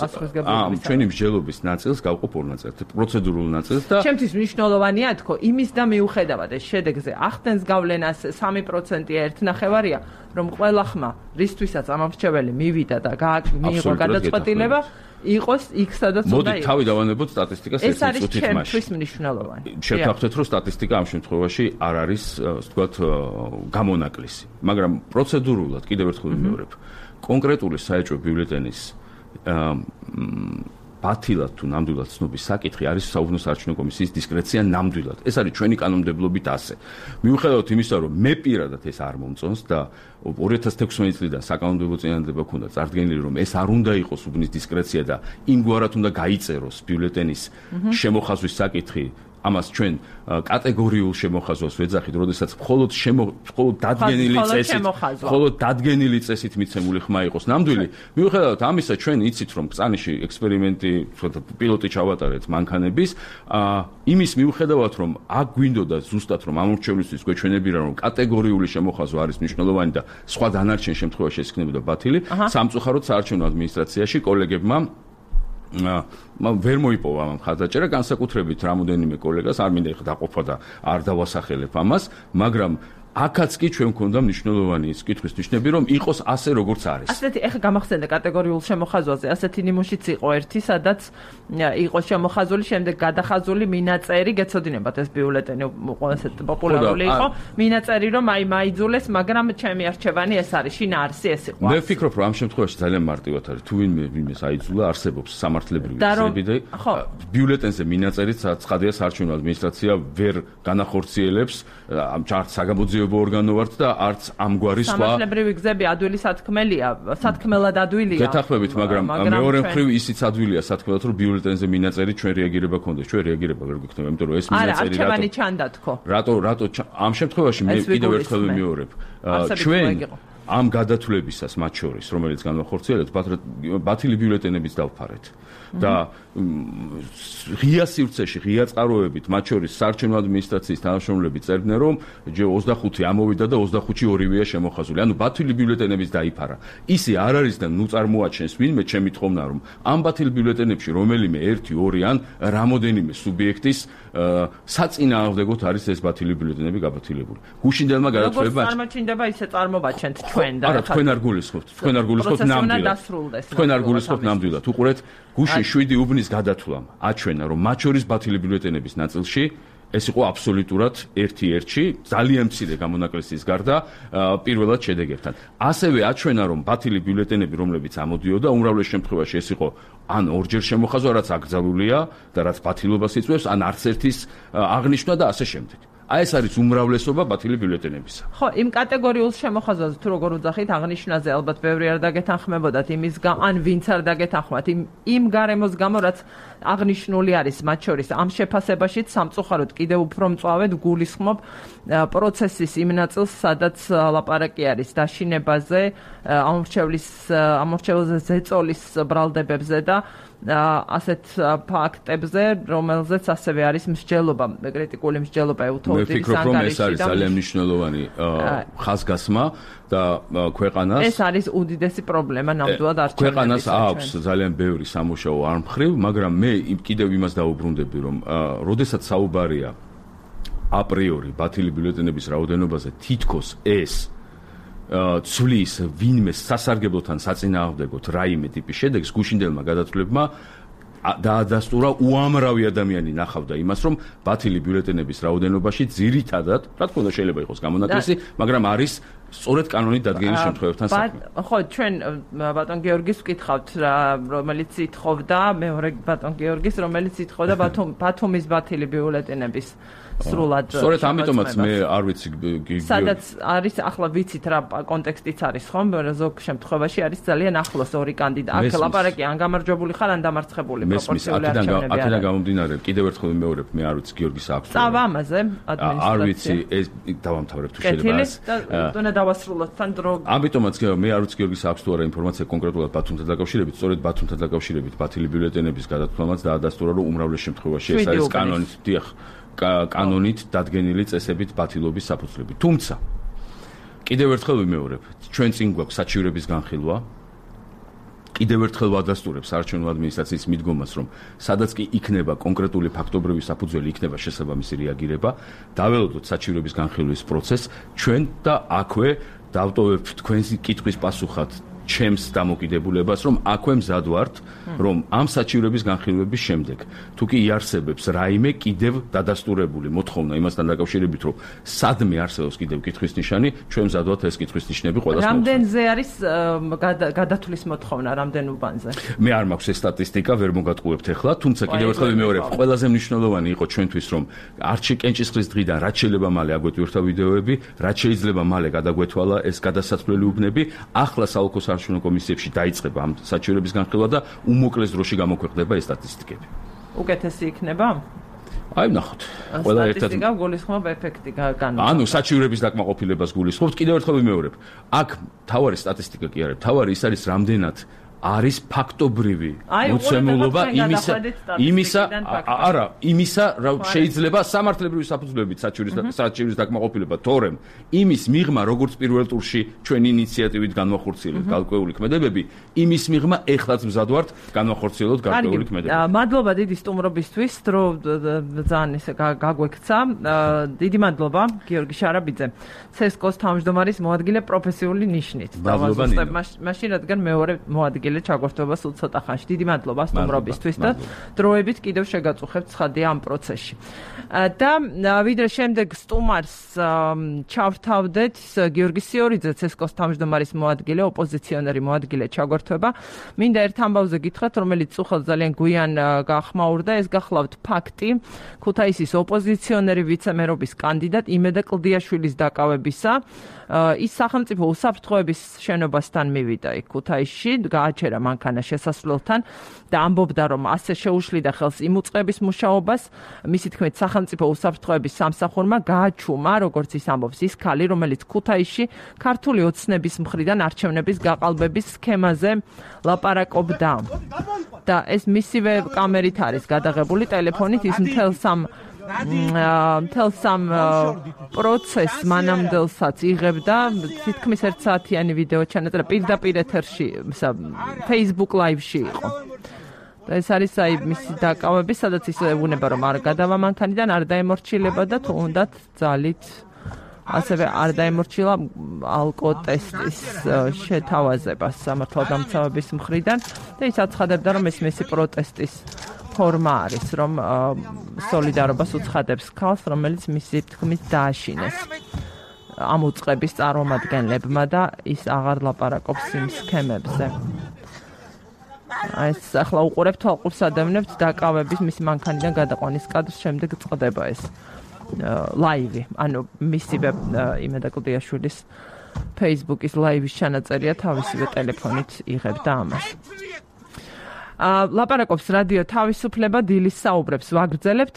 ჩვენი მსჯელობის ნაწილს გავყოფ ორ ნაწილად, პროცედურულ ნაწილს და ჩემთვის მნიშვნელოვანია თქო, იმის და მიუხედავად ეს შედეგზე ახდენს გავლენას 3%-ია 1.5-ია, რომ ყველა ხმა რისთვისაც ამორჩეველი მივიდა და მიიღო გადაწყვეტილება იყოს იქ სადაც უნდა იყოს. მოდით თავი დავანებოთ სტატისტიკას ეს არის ჩემთვის მნიშვნელოვანი. შევთანხმდეთ, რომ სტატისტიკა ამ შემთხვევაში არ არის, ასე ვთქვათ, გამონაკლისი. მაგრამ პროცედურულად კიდევ ერთხელ ვიმეორებ, კონკრეტული საეჭვო ბიულეტენის ბათილად თუ ნამდვილად ცნობის საკითხი არის საუბნო საარჩევნო კომისიის დისკრეცია ნამდვილად. ეს არის ჩვენი კანონმდებლობით ასე. მიუხედავად იმისა, რომ მე პირადად ეს არ მომწონს და 2016 წლიდან საკანონმდებლო წინადადება ქონდა წარდგენილი, რომ ეს არ უნდა იყოს უბნის დისკრეცია და იმგვარად უნდა გაიწეროს ბიულეტენის შემოხაზვის საკითხი. ამას ჩვენ კატეგორიულ შემოხაზვას ვეძახით, როდესაც მხოლოდ დადგენილი წესით მიცემული ხმა იყოს ნამდვილი. მიუხედავად ამისა, ჩვენ იცით, რომ ბრძანიში ექსპერიმენტი, პილოტი ჩავატარეთ მანქანების, იმის მიუხედავად, რომ აქ გვინდოდა ზუსტად, რომ ამორჩევლისთვის გვეჩვენებინა, რომ კატეგორიული შემოხაზვა არის მნიშვნელოვანი და სხვა დანარჩენ შემთხვევაში ეს იქნებოდა ბათილი, სამწუხაროდ საარჩევნო ადმინისტრაციაში კოლეგებმა ვერ მოიპოვა ამ ხაზაჭერა, განსაკუთრებით რამოდენიმე კოლეგას არ მინდა ეხლა დაყოფა და არ დავასახელებ ამას, მაგრამ აქაც კი ჩვენ გვქონდა მნიშვნელოვანი კითხვის ნიშნები, რომ იყოს ასე როგორც არის. ასეთი ეხლა გამახსენდა კატეგორიულ შემოხაზვაზე, ასეთი ნიმუშიც იყო ერთი, სადაც იყო შემოხაზული, შემდეგ გადახაზული მინაწერი, გეცოდინებათ ეს ბიულეტენი ყველაზე პოპულარული იყო, მინაწერი რომ აი მაიძულეს, მაგრამ ჩემი არჩევანი ეს არის, შინაარსი ეს იყო. მე ვფიქრობ, რომ ამ შემთხვევაში ძალიან მარტივად არის, თუ ვინმეს აიძულა, არსებობს სამართლებრივი გზები და ბიულეტენზე მინაწერით ცხადია საარჩევნო ადმინისტრაცია ვერ განახორციელებს, ამ საგამოძიებო ორგანო ვართ და არც ამგვარი სხვა სამართლებრივი გზები ადვილი სათქმელია, სათქმელად ადვილია. გეთახმებით, მაგრამ მეორე მხრივ ისიც ადვილია სათქმელად, რომ ბიულეტენზე მინაწერი ჩვენ რეაგირება გქონდეს. ჩვენ რეაგირება ვერ გვიქნება, იმიტომ რომ ეს მინაწერი არჩევანი ჩანდა თქო. რატო ამ შემთხვევაში მე კიდევ ერთხელ ვიმეორებ. ჩვენ ამ გადათვლებისას მათ შორის, რომელიც განვახორციელებთ, ბათილი ბიულეტენებიც დავფარეთ. და ღია სივრცეში, ღია წყაროებით, მათ შორის საარჩევნო ადმინისტრაციის თანამშრომლები წერდნენ, რომ 25 ამოვიდა და 25-ი ორივეა შემოხაზული. ანუ ბათილი ბიულეტენების დაიფარა. ისე არ არის და ნუ წარმოაჩენს ვინმე ჩემი თხოვნა, რომ ამ ბათილი ბიულეტენებში რომელიმე 1, 2 ან რამოდენიმე სუბიექტის საწინააღმდეგოდ არის ეს ბათილი ბიულეტენები გაბათილებული. გუშინდელმა გადათვლებამ როგორც წარმოჩინდება, ისე წარმოვაჩენთ ჩვენ და არა, თქვენ არ გულისხმობთ. თქვენ არ გულისხმობთ ნამდვილად. თქვენ არ გულისხმობთ ნამდვილად. უყურეთ, გუშინ 7 უბნის გადათვლამ აჩვენა, რომ მათ შორის ბათილი ბიულეტენების ნაწილში ეს იყო აბსოლუტურად 1-1-ში, ძალიან მცირე გამონაკლისის გარდა პირველად შედეგებთან. ასევე აჩვენა, რომ ბათილი ბიულეტენები, რომლებიც ამოდიოდა, უმრავლეს შემთხვევაში ეს იყო ან ორჯერ შემოხაზვა, რაც აკრძალულია და რაც ბათილობას იწვევს, ან არც ერთის აღნიშვნა და ასე შემდეგ. აი ეს არის უმრავლესობა ბათილი ბიულეტენებისა. ხო, იმ კატეგორიულ შემოხაზვაზე თუ როგორ ვძახით, აღნიშვნაზე ალბათ ბევრი არ დაგეთანხმებოდათ იმის ან ვინც არ დაგეთანხმათ იმ გარემოს გამო, რაც აღნიშნული არის მათ შორის ამ შეფასებაშიც სამწუხაროდ კიდევ უფრო მწვავედ გულისხმობ პროცესის იმ ნაწილს, სადაც ლაპარაკი არის დაშინებაზე, ამორჩევლზე ზეწოლის ბრალდებებზე და ასეთ ფაქტებზე, რომელზეც ასევე არის მსჯელობა, კრიტიკული მსჯელობა უთოუდის ანგარიშში. მე ვფიქრობ, რომ ეს არის ძალიან მნიშვნელოვანი ხაზგასმა და ქვეყანას ეს არის უდიდესი პრობლემა ნამდვილად არჩევნებში. ქვეყანას აქვს ძალიან ბევრი სამუშაო არ მხრივ, მაგრამ მე კიდევ იმას დაუბრუნდები, რომ როდესაც საუბარია აპრიორი ბათილი ბიულეტენების რაოდენობაზე, თითქოს ეს ცვლის ვინმე სასარგებლოთან საწინააღმდეგოდ რაიმე ტიპის შედეგს, გუშინდელმა გადათვლებმა დაადასტურა უამრავი ადამიანი ნახავდა იმას, რომ ბათილი ბიულეტენების რაოდენობაში ძირითადად, რა თქმა უნდა შეიძლება იყოს გამონაკლისი, მაგრამ არის სწორედ კანონით დადგენილი შემთხვევებთან საქმე. ხო, ჩვენ ბატონ გიორგის ვკითხავთ, რომელიც ითხოვდა, მეორე ბატონ გიორგის, რომელიც ითხოვდა ბათუმის ბათილი ბიულეტენების სრულად. სწორედ ამიტომაც მე არ ვიცი სადაც არის ახლა ვიცით რა კონტექსტიც არის ხომ, ზოგ შემთხვევაში არის ძალიან ახლოს ორი კანდიდატი. აქ ლაპარაკი ან გამარჯვებული ხარ, ან დამარცხებული პროპორციული არჩევნები. აქედან გამომდინარე, კიდევ ერთხელ ვიმეორებ, მე არ ვიცი გიორგის აქვს. წავა ამაზე ადმინისტრაცია. არ ვიცი, ეს დავამთავრებ თუ შეიძლება ეს. და დავასრულოთ თან დრო. ამიტომაც მე არ ვიცი გიორგის აქვს თუ არა ინფორმაცია კონკრეტულად ბათუმთან დაკავშირებით, სწორედ ბათუმთან დაკავშირებით ბათილი ბიულეტენების გადათვლამაც დაადასტურა, რომ უმრავლეს შემთხვევაში ეს არის კანონით, დიახ, კანონით დადგენილი წესებით ბათილობის საფუძვლები. თუმცა კიდევ ერთხელ ვიმეორებ, ჩვენ წინ გვაქვს საჩივრების განხილვა. კიდევ ერთხელ ვადასტურებ საარჩევნო ადმინისტრაციის მიდგომას, რომ სადაც კი იქნება კონკრეტული ფაქტობრივი საფუძველი, იქნება შესაბამისი რეაგირება, დაველოდოთ საჩივრების განხილვის პროცესს, ჩვენ და აქვე დავტოვებთ თქვენს კითხვის პასუხად ჩემს დამოკიდებულებას, რომ აქვე მზად ვართ, რომ ამ საჩივრების განხილვების შემდეგ თუ კი იარსებებს რაიმე კიდევ დადასტურებული მოთხოვნა იმასთან დაკავშირებით, რომ სადმე არსებობს კიდევ კითხვის ნიშანი, ჩვენ მზად ვართ ეს კითხვის ნიშნები ყველას მოვხსნათ. რამდენზე არის გადათვლის მოთხოვნა, რამდენ უბანზე? მე არ მაქვს ეს სტატისტიკა, ვერ მოგატყუებთ ახლა, თუმცა კიდევ ერთხელ ვიმეორებ, ყველაზე მნიშვნელოვანი იყო ჩვენთვის, რომ არჩი კენჭისყრის დღიდან რაც შეიძლება მალე აგვეტვირთა ვიდეოები, რაც შეიძლება მალე გადაგვეთვალა ეს გადასაცვლელი უბნები, ახლა საოლქო საარჩევნო კომისიებში დაიწყება ამ საჩივრების განხილვა და უმოკლეს დროში გამოქვეყნდება ეს სტატისტიკები. უკეთესი იქნება? აი ვნახოთ. ყველა ერთად სტატისტიკა გულისხმობ ეფექტი განვა. ანუ საჩივრების დაკმაყოფილებას გულისხმობთ, კიდევ ერთხელ ვიმეორებ. აქ თავარი სტატისტიკა კი არის, თავარი ის არის რამდენად არის ფაქტობრივი მოცემულობა იმისა, რა შეიძლება სამართლებრივი საფუძვლებით საჩივრის დაკმაყოფილება, თორემ იმის მიღმა, როგორც პირველ ტურში ჩვენი ინიციატივით განვახორციელებთ გარკვეული ქმედებები, იმის მიღმა ეხლაც მზად ვართ განვახორციელოთ გარკვეული ქმედებები. მადლობა დიდი სტუმრობისთვის, რომ ძალიან ესე გაგვექცა. დიდი მადლობა გიორგი შარაბიძე, CSKO-ს თავმჯდომარის მოადგილე პროფესიული ნიშნით. მაშინ რადგან მეორე მოადგილე ჩაგვართვება სულ ცოტა ხანში. დიდი მადლობა სტუმრობისთვის და დროებით კიდევ შეგაწუხებთ ცხადია ამ პროცესში. და ვიდრე შემდეგ სტუმარს ჩავთავდეთ, გიორგი სიორიძე, CSKO-ს თავმჯდომარის მოადგილე, ოპოზიციონერი მოადგილე ჩაგვართვება. მინდა ერთ ამბავზე გითხრათ, რომელიც უხალ ძალიან გვიან გახმაურდა, ეს გახლავთ ფაქტი, ქუთაისის ოპოზიციონერი ვიცე-მერობის კანდიდატ იმედა კლდიაშვილის დაკავებისა. ის სახელმწიფო უსაფრთხოების შენობასთან მივიდა იქ ქუთაისში, გააჩერა მანქანა შესასვლელთან და ამბობდა, რომ ასე შეუშლიდა ხელს იმ უწყების მუშაობას. მისი თქმით, სახელმწიფო უსაფრთხოების სამსახურმა გააჩუმა, როგორც ის ამბობს, ის ქალი, რომელიც ქუთაისში ქართული ოცნების მხრიდან არჩევნების გაყალბების სქემაზე ლაპარაკობდა. და ეს მისივე კამერით არის გადაღებული ტელეფონით, ის მთელ სამ პროცესს მანამდელსაც იღებდა, თითქმის 1 საათიანი ვიდეო ჩანაწერა პირდაპირ ეთერში, Facebook Live-ში იყო. და ეს არის აი მისი დაკავები, სადაც ის ეუბნება, რომ არ გადავა მანქანიდან, არ დაემორჩილება და თუნდაც ძალით ასევე არ დაემორჩილა ალკოტესტის შეთავაზებას სამართალდამცავების მხრიდან და ის აცხადებდა, რომ ეს მისი პროტესტის ფორმა არის, რომ სოლიდარობას უცხადებს ქალს, რომელიც მისი თქმით დააშინეს ამ უწყების წარმომადგენლებმა და ის აღარ ლაპარაკობს იმ სქემებზე. ეს ახლა უყურებთ, თვალყურს ადევნებთ დაკავების მისი მანქანიდან გადაყვანის კადრს, შემდეგ წყდება ეს ლაივი, ანუ მისივე იმედა კლდიაშვილის Facebook-ის ლაივის ჩანაწერია, თავისივე ტელეფონით იღებდა ამას. ლაპარაკობს რადიო თავისუფლება, დილის საუბრებს ვაგრძელებთ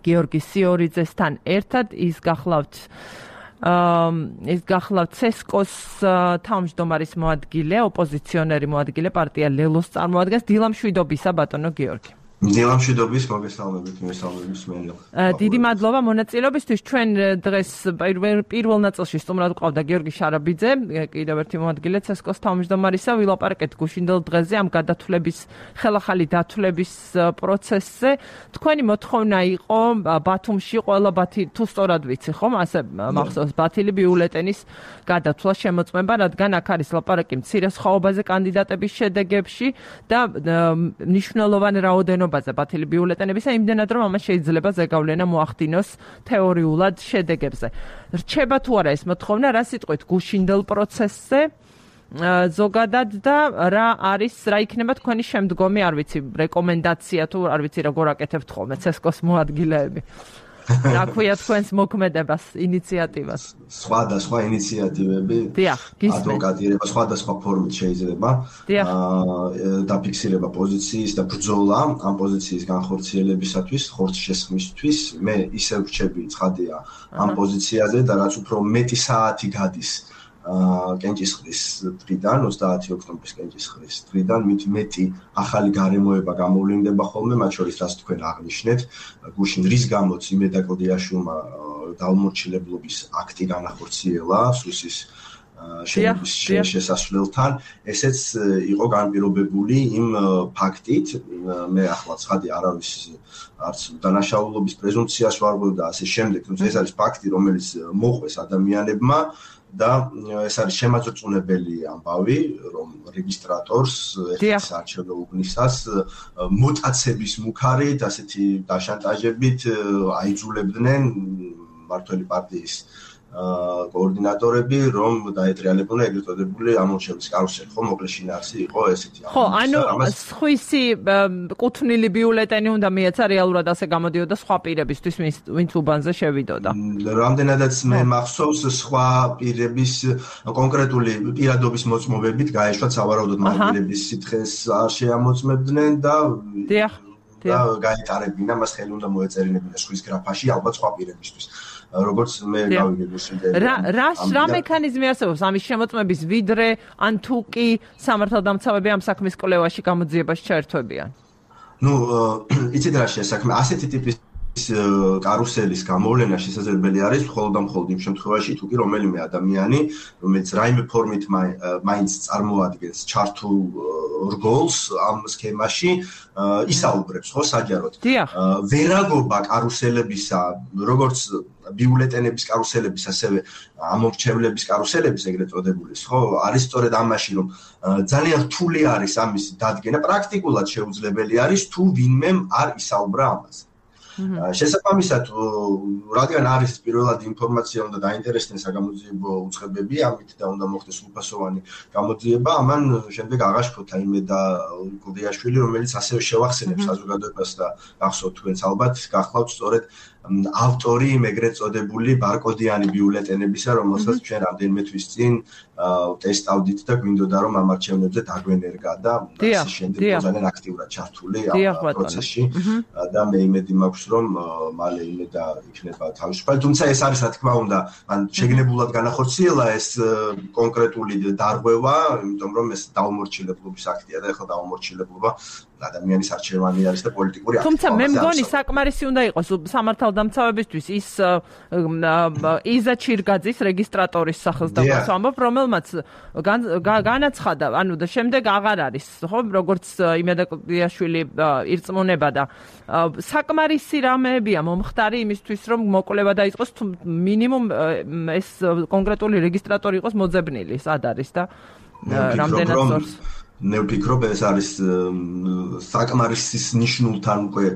გიორგი სიორიძესთან ერთად. ის გახლავთ CSKO-ს თავმჯდომარის მოადგილე, ოპოზიციონერი მოადგილე, პარტია ლელოს წარმოადგენს. დილამშვიდობისა ბატონო გიორგი. დილამშვიდობის, მოგესალმებით, დიდი მადლობა მონაწილეობისთვის. ჩვენ დღეს პირველ ნაწილში სტუმრად გვყავდა გიორგი შარაბიძე, კიდევ ერთი მოადგილე CSKO-ს თავმჯდომარისა. ვილაპარაკეთ გუშინდელ დღეზე ამ გადათვლების, ხელახალი დათვლების პროცესზე. თქვენი მოთხოვნა იყო ბათუმში ყველა თუ სწორად ვიცი, ხომ? ასე მახსოვს ბათილი ბიულეტენის გადათვლა შემოწმება, რადგან აქ არის ლაპარაკი მცირე სხვაობაზე კანდიდატების შედეგებში და მნიშვნელოვანი რაოდენობა ბათილი ბიულეტენებისა, იმდენად რომ ამას შეიძლება ზეგავლენა მოახდინოს თეორიულად შედეგებზე. რჩება თუ არა ეს მოთხოვნა, რა სიტყვით გუშინდელ პროცესზე ზოგადად და რა იქნება თქვენი შემდგომი, არ ვიცი, რეკომენდაცია თუ არ ვიცი როგორ აკეთებთ ხოლმე CSKO-ს მოადგილეები. რა ქვია თქვენს მოქმედებას, ინიციატივას? სხვადასხვა ინიციატივები, ადვოკატირება სხვადასხვა ფორმით შეიძლება დაფიქსირება პოზიციის და ბრძოლა ამ პოზიციის განხორციელებისათვის, ხორცს შესხმისთვის. მე ისევ რჩები ცხადია ამ პოზიციაზე და რაც უფრო მეტი საათი გადის კენჭისყრის დღიდან, 30 ოქტომბრის კენჭისყრის დღიდან, მით მეტი ახალი გარემოება გამოვლინდება ხოლმე, მათ შორის რაც თქვენ აღნიშნეთ, გუშინ რის გამოც იმედა კლდიაშვილმა დაუმორჩილებლობის აქტი განახორციელა სუსის შესასვლელთან, ესეც იყო განპირობებული იმ ფაქტით, მე ახლა ცხადი არავის არც დანაშაულობის პრეზუმპციას ვარღვევ და ასე შემდეგ, თუმცა ეს არის ფაქტი, რომელიც მოყვეს ადამიანებმა და ეს არის შემაძრწუნებელი ამბავი, რომ რეგისტრატორს ეს არჩევნო უბნისას მოტაცების მუქარით, ასეთი დაშანტაჟებით აიძულებდნენ მმართველი პარტიის კოორდინატორები, რომ დაეტრიალებოდნენ ეგრეთ წოდებული ამორჩევლის კარუსელი, ხო, მოკლე შინაარსი იყო ესეთი. ხო, ანუ სხვისი კუთვნილი ბიულეტენი უნდა მიეცა რეალურად ასე გამოდიოდა სხვა პირებისთვის, ვინც უბანზე შევიდოდა. რამდენადაც მე მახსოვს სხვა პირების კონკრეტული პირადობის მოწმობებით გაეშვათ სავარაუდოდ მაგ პირების სითხეს არ შეამოწმებდნენ და გაეტარებინა მას ხელი უნდა მოეწერინებინა სხვის გრაფაში ალბათ სხვა პირებისთვის. როგორც მე გავიგებდი რა მექანიზმი არსებობს ამის შემოწმების ვიდრე ან თუ კი სამართალდამცავები ამ საქმის კვლევაში გამოძიებას ჩაერთვებიან? ნუ იცით რა შესაქმე ასეთი ტიპის კარუსელის გამოვლენა შესაძლებელი არის მხოლოდ და მხოლოდ იმ შემთხვევაში თუ კი რომელიმე ადამიანი რომელიც რაიმე ფორმით მაინც წარმოადგენს ჩართულ რგოლს ამ სქემაში ისაუბრებს ხო საჯაროდ ვერაგობა კარუსელებისა როგორც ბიულეტენების კარუსელების ასევე ამორჩევლების კარუსელების ეგრეთ წოდებულის ხო არის სწორედ ამაში რომ ძალიან რთული არის ამის დადგენა პრაქტიკულად შეუძლებელი არის თუ ვინმე არ ისაუბრა ამაზე შესაბამისად რადგან არის პირველად ინფორმაცია უნდა დაინტერესდნენ საგამოძიებო უწყებები ამით და უნდა მოხდეს სრულფასოვანი გამოძიება ამან შემდეგ აღაშფოთა იმედა გუდიაშვილი რომელიც ასევე შევახსენებს საზოგადოებას და გახსოვთ თქვენც ალბათ გახლავთ სწორედ ავტორი ეგრეთ წოდებული ბარკოდიანი ბიულეტენებისა რომელსაც ჩვენ რამდენიმე თვის წინ ტესტავდით და გვინდოდა რომ ამ არჩევნებზე დაგვენერგა და ასე შემდეგ ძალიან აქტიურად ჩართული ამ პროცესში და მე იმედი მაქვს რომ მალე იმედა იქნება თავისუფალი თუმცა ეს არის რა თქმა უნდა ან შეგნებულად განახორციელა ეს კონკრეტული დარღვევა იმიტომ რომ ეს დაუმორჩილებლობის აქტია და ახლა დაუმორჩილებლობა ადამიანის არჩევანი არის და პოლიტიკური აქტი. თუმცა მე მგონი საკმარისი უნდა იყოს სამართალდამცავებისთვის ის იზა ჩირგაძის რეგისტრატორის სახელს დავასვამებ, რომელმაც განაცხადა, ანუ და შემდეგ აღარ არის, ხო, როგორც იმედა გუდიაშვილი ირწმუნება და საკმარისი რამეებია მომხდარი იმისთვის, რომ მოკვლევა დაიწყოს თუ მინიმუმ ეს კონკრეტული რეგისტრატორი იყოს მოძებნილი, სად არის და რამდენად ზორს მე ვფიქრობ ეს არის საკმარისის ნიშნულთან უკვე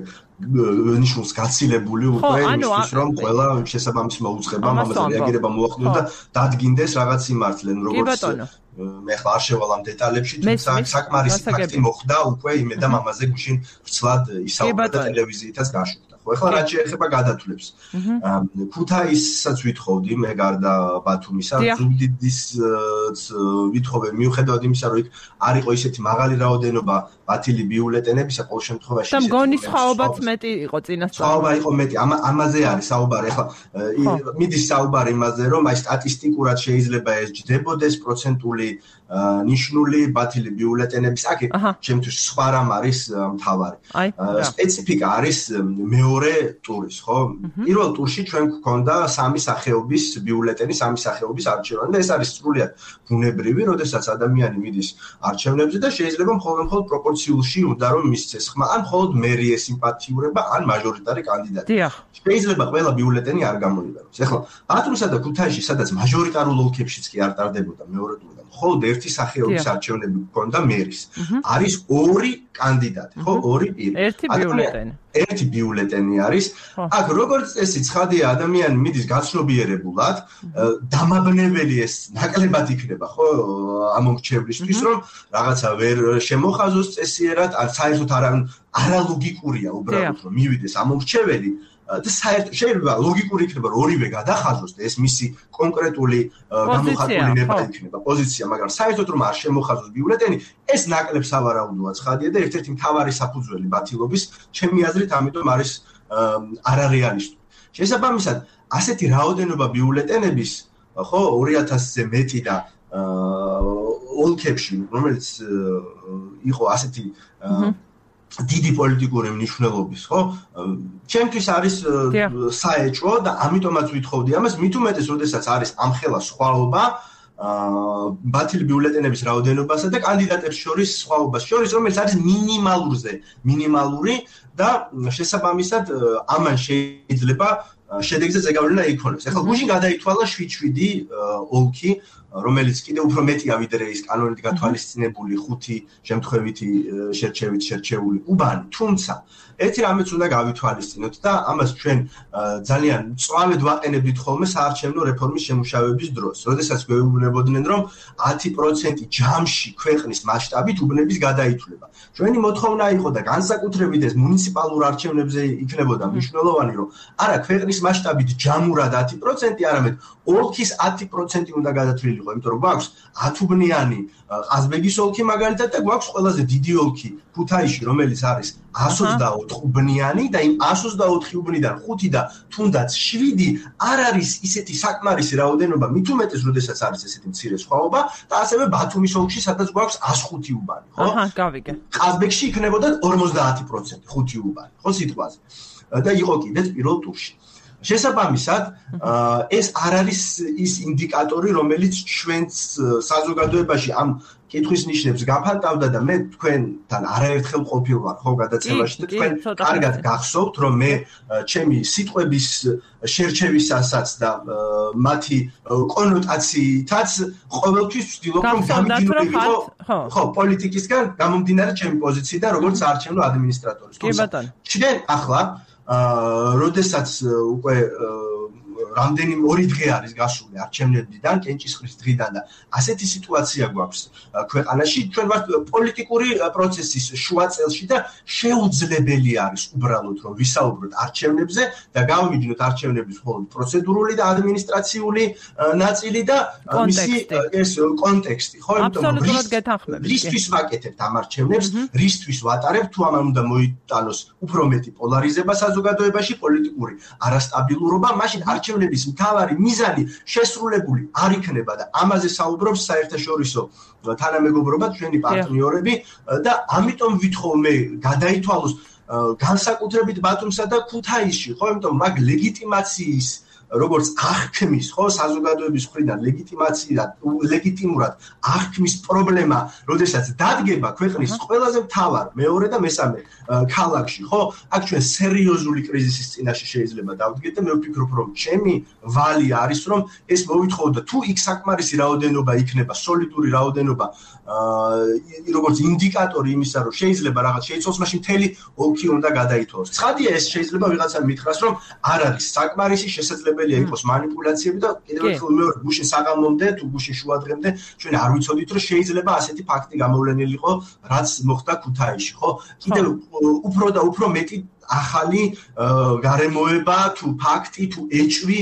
ნიშნულს გაცილებული უკვე იმისთვის რომ ყველა შესაბამისი მოუწყება ამაზე რეაგირება მოახდინოს და დადგინდეს რაღაც სიმართლე როგორც მე ხარ არ შევალ ამ დეტალებში თუმცა საკმარისი ფაქტი მოხდა უკვე იმედა ამაზე გუშინ ვრცლად ისაუბრა და ტელევიზიითაც გაშვდა ხო ეხლა რაც შეეხება გადათვლებს ქუთაისსაც ვითხოვდი მე გარდა ბათუმისა ზუგდიდის ვითხოვე მიუხედავად იმისა რომ იქ არ იყო ისეთი მაღალი რაოდენობა ბათილი ბიულეტენებისა ყოველ შემთხვევაში და მგონი სხვაობაც მეტი იყო წინასწარ სხვაობა იყო მეტი ამაზე არის საუბარი ეხლა მიდის საუბარი იმაზე რომ აი სტატისტიკურად შეიძლება ეს ჯდებოდეს პროცენტული ნიშნული ბათილი ბიულეტენების აქ ჩემთვის სხვა რამ არის მთავარი სპეციფიკა არის მეორე ტურის ხო პირველ ტურში ჩვენ გვქონდა სამი სახეობის ბიულეტენი სამი სახეობის არჩევანი და ეს არის სრულიად ბუნებრივი როდესაც ადამიანი მიდის არჩევნებზე და შეიძლება მხოლოდ პროპორციულში უნდა რომ მისცეს ხმა ან მხოლოდ მერი ესიმპათიურება ან მაჟორიტარი კანდიდატი შეიძლება ყველა ბიულეტენი არ გამოიყენოს ეხლა ბათუმსა და ქუთაისში სადაც მაჟორიტარულ ოლქებშიც კი არ ტარდებოდა მეორე ტური მხოლოდ ერთი სახეობის არჩევნები გქონდა მერის არის ორი კანდიდატი ხო ორი პირი ერთი ბიულეტენი არის აქ როგორც წესი ცხადია ადამიანი მიდის გაცნობიერებულად დამაბნეველი ეს ნაკლებად იქნება ხო ამორჩევლისთვის რომ რაღაცა ვერ შემოხაზოს წესიერად ან საერთოდ არალოგიკურია უბრალოდ რომ მივიდეს ამორჩეველი და საერთოდ შეიძლება ლოგიკური იქნება რომ ორივე გადახაზოს და ეს მისი კონკრეტული გამოხატული ნება იქნება პოზიცია მაგრამ საერთოდ რომ არ შემოხაზოს ბიულეტენი ეს ნაკლებ სავარაუდოა ცხადია და ერთ-ერთი მთავარი საფუძველი ბათილობის ჩემი აზრით ამიტომ არის არარეალისტური შესაბამისად ასეთი რაოდენობა ბიულეტენების ხო 2000-ზე მეტი და ოლქებში რომელიც იყო ასეთი დიდი პოლიტიკური მნიშვნელობის, ხო? ჩემთვის არის საეჭვო და ამიტომაც ვითხოვდი ამას, მით უმეტეს, როდესაც არის ამხელა სხვაობა ბათილი ბიულეტენების რაოდენობასა და კანდიდატებს შორის სხვაობას შორის, რომელიც არის მინიმალური და შესაბამისად ამან შეიძლება შედეგზე ზეგავლენა იქონოს. ახლა გუშინ გადაითვალა 7-7 ოლქი, რომელიც კიდევ უფრო მეტია ვიდრე ის კანონით გათვალისწინებული 5 შემთხვევითი შერჩევით შერჩეული უბანი, თუმცა ერთი რამეც უნდა გავითვალისწინოთ და ამას ჩვენ ძალიან მწვავედ ვაყენებდით ხოლმე საარჩევნო რეფორმის შემუშავების დროს, როდესაც გვეუბნებოდნენ, რომ 10% ჯამში ქვეყნის მასშტაბით უბნების გადაითვლება. ჩვენი მოთხოვნა იყო და განსაკუთრებით ეს მუნიციპალურ არჩევნებზე იქნებოდა მნიშვნელოვანი, რომ არა ქვეყნის მასშტაბით ჯამურად 10%, არამედ ოლქის 10% უნდა გადათვლილიყო, იმიტომ რომ გვაქვს 10 უბნიანი ყაზბეგის ოლქი მაგალითად და გვაქვს ყველაზე დიდი ოლქი ქუთაისში, რომელიც არის 124 უბნიანი და იმ 124 უბნიდან 5 და თუნდაც 7 არ არის ისეთი საკმარისი რაოდენობა, მით უმეტეს, როდესაც არის ესეთი მცირე სხვაობა და ასევე ბათუმის ოლქში, სადაც გვაქვს 105 უბანი, ხო? გავიგე. ყაზბეგში იქნებოდა 50%, 5 უბანი, ხო სიტყვაზე. და იყო კიდეც პირველ ტურში. შესაბამისად, ეს არ არის ის ინდიკატორი, რომელიც ჩვენს საზოგადოებაში ამ კითხვის ნიშნებს გაფანტავდა და მე თქვენთან არაერთხელ ყოფილ ვარ ხო გადაცემაში და თქვენ კარგად გახსოვთ, რომ მე ჩემი სიტყვების შერჩევისასაც და მათი კონოტაციითაც ყოველთვის ვცდილობ, რომ გამიდინებიყო ხო პოლიტიკისგან გამომდინარე ჩემი პოზიციიდან, როგორც საარჩევნო ადმინისტრატორის. ჩვენ ახლა როდესაც უკვე რამდენიმე 2 დღე არის გასული არჩევნებიდან, კენჭისყრის დღიდან და ასეთი სიტუაცია გვაქვს ქვეყანაში, ჩვენ ვართ პოლიტიკური პროცესის შუა წელში და შეუძლებელი არის უბრალოდ რომ ვისაუბროთ არჩევნებზე და გავიმიჯნოთ არჩევნების მხოლოდ პროცედურული და ადმინისტრაციული ნაწილი და მისი ეს კონტექსტი, ხო, აბსოლუტურად გეთანხმებით. რისთვის ვაკეთებთ ამ არჩევნებს, რისთვის ვატარებთ, თუ ამან უნდა მოიტანოს უფრო მეტი პოლარიზება საზოგადოებაში, პოლიტიკური არასტაბილურობა, მაშინ არჩევნების მთავარი მიზანი შესრულებული არ იქნება და ამაზე საუბრობს საერთაშორისო თანამეგობრობა, ჩვენი პარტნიორები და ამიტომ ვითხოვ მე გადაითვალოს განსაკუთრებით ბათუმსა და ქუთაისში, ხო, იმიტომ მაგ ლეგიტიმაციის როგორც აღქმის, ხო, საზოგადოების მხრიდან ლეგიტიმურად აღქმის პრობლემა, როდესაც დადგება ქვეყნის ყველაზე მთავარ მეორე და მესამე ქალაქში, ხო, აქ ჩვენ სერიოზული კრიზისის წინაშე შეიძლება დავდგეთ და მე ვფიქრობ, რომ ჩემი ვალი არის, რომ ეს მოვითხოვოთ და თუ იქ საკმარისი რაოდენობა იქნება, სოლიდური რაოდენობა, როგორც ინდიკატორი იმისა, რომ შეიძლება რაღაც შეიცვალოს, მაშინ მთელი ოლქი უნდა გადაითვალოს. ცხადია, ეს შეიძლება ვიღაცამ მითხრას, რომ არ არის საკმარისი, შესაძლებელია იყოს манипуляციები და კიდევ ერთხელ მეორე გუშინ საღამომდე თუ გუშინ შუადღემდე ჩვენ არ ვიცოდით, რომ შეიძლება ასეთი ფაქტი გამოვლენილიყო, რაც მოხდა ქუთაისში, ხო? კიდევ უფრო და უფრო მეტი ახალი გარემოება თუ ფაქტი თუ ეჭვი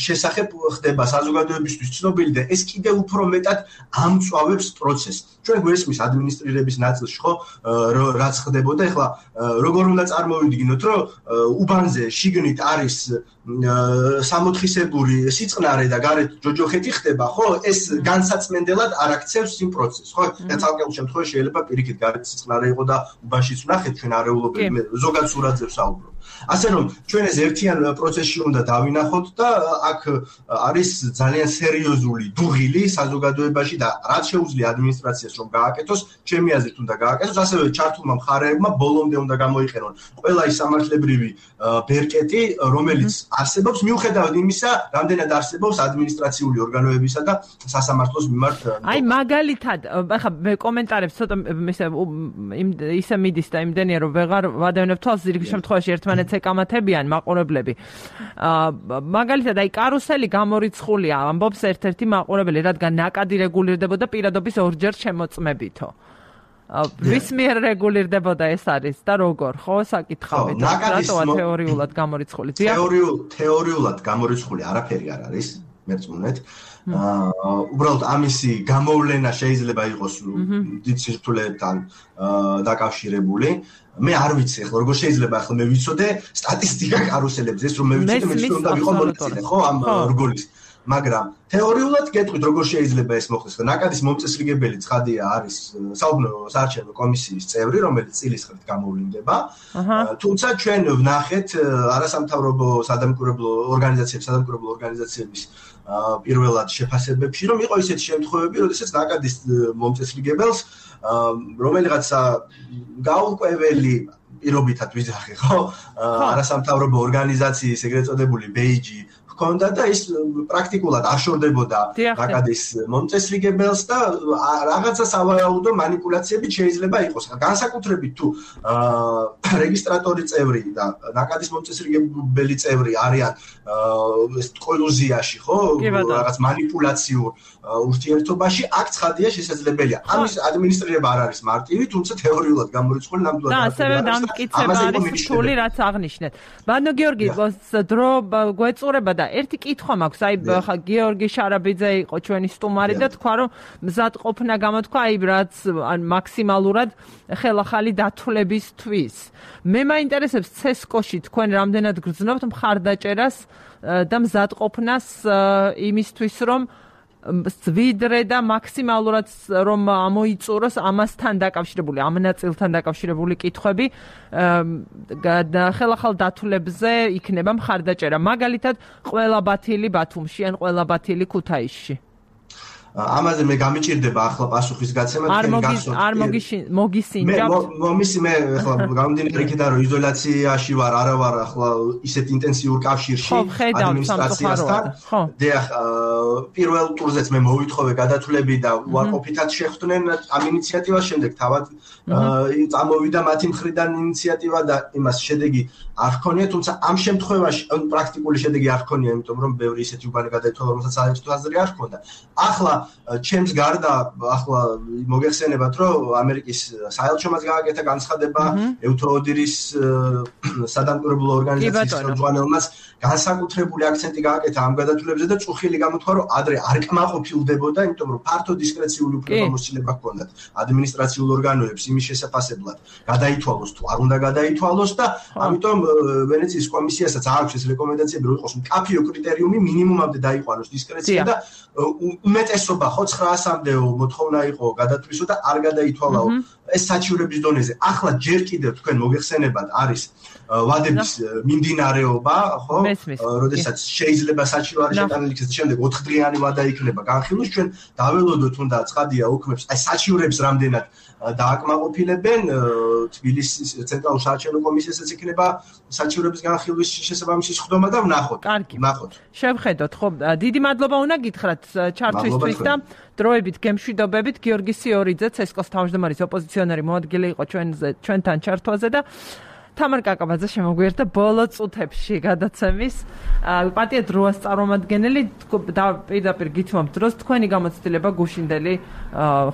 შესახებ ხდება საზოგადოებისთვის ცნობილი და ეს კიდევ უფრო მეტად ამწვავებს პროცესს. ჩვენ გვესმის ადმინისტრირების ნაწილში, ხო, რაც ხდებოდა, ეხლა როგორ უნდა წარმოვიდგინოთ, რომ უბანზე შიგნით არის სამოთხისებური სიწყნარე და გარეთ ჯოჯოხეთი ხდება, ხო, ეს განსაცმენდელად არ აქცევს იმ პროცესს, ხო? და ცალკეულ შემთხვევაში შეიძლება პირიქით გარეთ სიწყნარე იყო და უბანშიც ვნახეთ ჩვენ არეულობები, ზოგადად სურათზე ვსაუბრობ. ასე რომ ჩვენ ეს ერთიან პროცესში უნდა დავინახოთ და აქ არის ძალიან სერიოზული დუღილი საზოგადოებაში და რაც შეუძლია ადმინისტრაციას რომ გააკეთოს, ჩემი აზრით უნდა გააკეთოს, ასევე ჩართულმა მხარეებმა ბოლომდე უნდა გამოიყენონ ყველა ის სამართლებრივი ბერკეტი, რომელიც არსებობს მიუხედავად იმისა, რამდენად არსებობს ადმინისტრაციული ორგანოებისა და სასამართლოს მიმართ. აი მაგალითად, ახლა მე კომენტარებს ცოტა ისე მიდის და იმდენია რომ ვეღარ ვადევნებ თვალს, ზირგ შემთხვევაში ერთმანეთს ეკამათებიან მაყურებლები. მაგალითად, აი კარუსელი გამორიცხულია, ამბობს ერთ-ერთი მაყურებელი, რადგან ნაკადი რეგულირდებოდა პირადობის ორჯერ შემოწმებითო. ვის მიერ რეგულირდებოდა ეს არის და როგორ, ხო, საკითხავით. რატოა თეორიულად გამორიცხული? თეორიულად გამორიცხული არაფერი არ არის, მერწმუნეთ. უბრალოდ ამისი გამოვლენა შეიძლება იყოს დიდ სირთულეებთან დაკავშირებული. მე არ ვიცი ახლა როგორ შეიძლება ახლა მე ვიცოდე სტატისტიკა კარუსელებზე, ეს რომ მე ვიცოდე, მე უნდა ვიყო მონაწილე, ხო, ამ რგოლის. მაგრამ თეორიულად გეტყვით როგორ შეიძლება ეს მოხდეს. ნაკადის მომწესრიგებელი ცხადია არის საუბნო საარჩევნო კომისიის წევრი, რომელიც წილის ხრით გამოვლინდება. თუმცა ჩვენ ვნახეთ არასამთავრობო სადამკვირვებლო ორგანიზაციების პირველად შეფასებებში, რომ იყო ისეთი შემთხვევები, როდესაც ნაკადის მომწესრიგებელს რომელიღაცა გაურკვეველი პირობითად ვიძახი, ხო? არასამთავრობო ორგანიზაციის ეგრეთ წოდებული ბეიჯი ჰქონდა და ის პრაქტიკულად არ შორდებოდა ნაკადის მომწესრიგებელს და რაღაცა სავარაუდო მანიპულაციები შეიძლება იყოს. განსაკუთრებით თუ რეგისტრატორი წევრი და ნაკადის მომწესრიგებელი წევრი არიან კოლუზიაში, ხო? რაღაც მანიპულაციურ ურთიერთობაში, აქ ცხადია შესაძლებელია. ამის ადმინისტრირება არ არის მარტივი, თუმცა თეორიულად გამორიცხული ნამდვილად და ასევე დამტკიცება არის რთული, რაც აღნიშნეთ. ბანო გიორგი, დრო გვეწურება და ერთი კითხვა მაქვს, აი გიორგი შარაბიძე იყო ჩვენი სტუმარი და თქვა რომ მზადყოფნა გამოთქვა აი რაც მაქსიმალურად ხელახალი დათვლებისთვის. მე მაინტერესებს ცესკოში თქვენ რამდენად გრძნობთ მხარდაჭერას და მზადყოფნას იმისთვის რომ ვიდრე და მაქსიმალურად რომ ამოიწუროს ამასთან დაკავშირებული, ამ ნაწილთან დაკავშირებული კითხვები ხელახალ დათვლებზე იქნება მხარდაჭერა. მაგალითად, ყველა ბათილი ბათუმში ან ყველა ბათილი ქუთაისში. ამაზე მე გამიჭირდება ახლა პასუხის გაცემა არ მოგისინჯავთ მე ახლა გამომდინარე იქიდან რომ იზოლაციაში ვარ არა ვარ ახლა ისეთ ინტენსიურ კავშირში ადმინისტრაციასთან დიახ პირველ ტურზეც მე მოვითხოვე გადათვლები და უარყოფითად შეხვდნენ ამ ინიციატივას შემდეგ თავად წამოვიდა მათი მხრიდან ინიციატივა და იმას შედეგი არ ჰქონია თუმცა ამ შემთხვევაში პრაქტიკული შედეგი არ ჰქონია იმიტომ რომ ბევრი ისეთი უბანი გადაითვალა რომელსაც საერთოდ აზრი არ ჰქონდა ახლა ჩემს გარდა ახლა მოგეხსენებათ რომ ამერიკის საელჩომაც გააკეთა განცხადება ევთოოდირის სადამკვირვებლო ორგანიზაციის ხელმძღვანელმაც განსაკუთრებული აქცენტი გააკეთა ამ გადათვლებზე და წუხილი გამოთქვა რომ ადრე არ კმაყოფილდებოდა იმიტომ რომ ფართო დისკრეციული უფლებამოსილება ჰქონდათ ადმინისტრაციულ ორგანოებს იმის შესაფასებლად გადაითვალოს თუ არ უნდა გადაითვალოს და ამიტომ ვენეციის კომისიასაც აქვს ეს რეკომენდაციები რომ იყოს მკაფიო კრიტერიუმი მინიმუმამდე დაიყვანოს დისკრეცია და უმეტესობა ხო 900-მდეო მოთხოვნა იყო გადათვლისო და არ გადაითვალაო ეს საჩივრების დონეზე. ახლა ჯერ კიდევ თქვენ მოგეხსენებათ არის ვადების მიმდინარეობა, ხო? როდესაც შეიძლება საჩივრო არის შეტანილი იქნეს შემდეგ 4 დღიანი ვადა იქნება განხილვის ჩვენ დაველოდოთ უნდა ცხადია უქმებს აი საჩივრებს რამდენად დააკმაყოფილებენ თბილისის ცენტრალურ საარჩევნო კომისიასაც იქნება საჩივრების განხილვის შესაბამისი სხდომა და ვნახოთ. ვნახოთ. შევხედოთ, ხო? დიდი მადლობა უნდა გითხრათ ჩართვისთვის და დროებით გემშვიდობებით გიორგი სიორიძე ცესკოს თავმჯდომარის ოპოზიციონერი მოადგილე იყო ჩვენთან ჩართვაზე და თამარ კაკაბაძე შემოგვიერთდა ბოლო წუთებში გადაცემის პარტია დროას წარმომადგენელი და პირდაპირ გითმობთ დროს თქვენი გამოცდილება გუშინდელი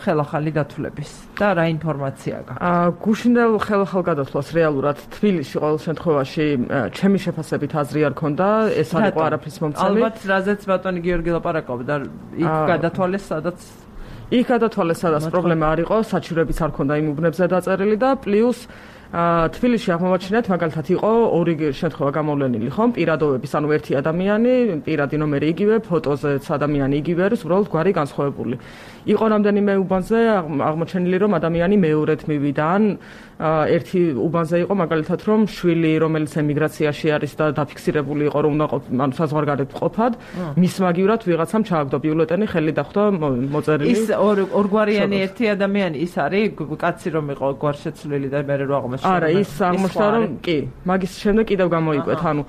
ხელახალი დათვლების და რა ინფორმაცია გაქვთ გუშინდელ ხელახალ გადათვლას რეალურად თბილისში ყოველ შემთხვევაში ჩემი შეფასებით აზრი არ ქონდა ეს არ იყო არაფრის მომცემი ალბათ რაზეც ბატონი გიორგი ლაპარაკობდა იქ გადათვალეს სადაც პრობლემა არ იყო საჩივრებიც არ ქონდა იმ უბნებზე დაწერილი და პლუს თბილისში აღმოაჩინეთ მაგალითად იყო ორი შემთხვევა გამოვლენილი ხომ პირადოვების ანუ ერთი ადამიანი პირადი ნომერი იგივე ფოტოზეც ადამიანი იგივე არის უბრალოდ გვარი განსხვავებული იყო რამდენიმე უბანზე აღმოჩენილი რომ ადამიანი მეორედ მივიდა ან ერთი უბანზე იყო მაგალითად რომ შვილი რომელიც ემიგრაციაში არის და დაფიქსირებული იყო რომ უნდა ანუ საზღვარგარეთ ყოფად მის მაგივრად ვიღაცამ ჩააგდო ბიულეტენი ხელი დახვდა მოწერილი ის ორგვარიანი ერთი ადამიანი ის არის კაცი რომ იყო გვარშეცვლილი და მე რო არა ის აღმოჩნდა რომ კი მაგის შემდეგ კიდევ გამოიკვეთ ანუ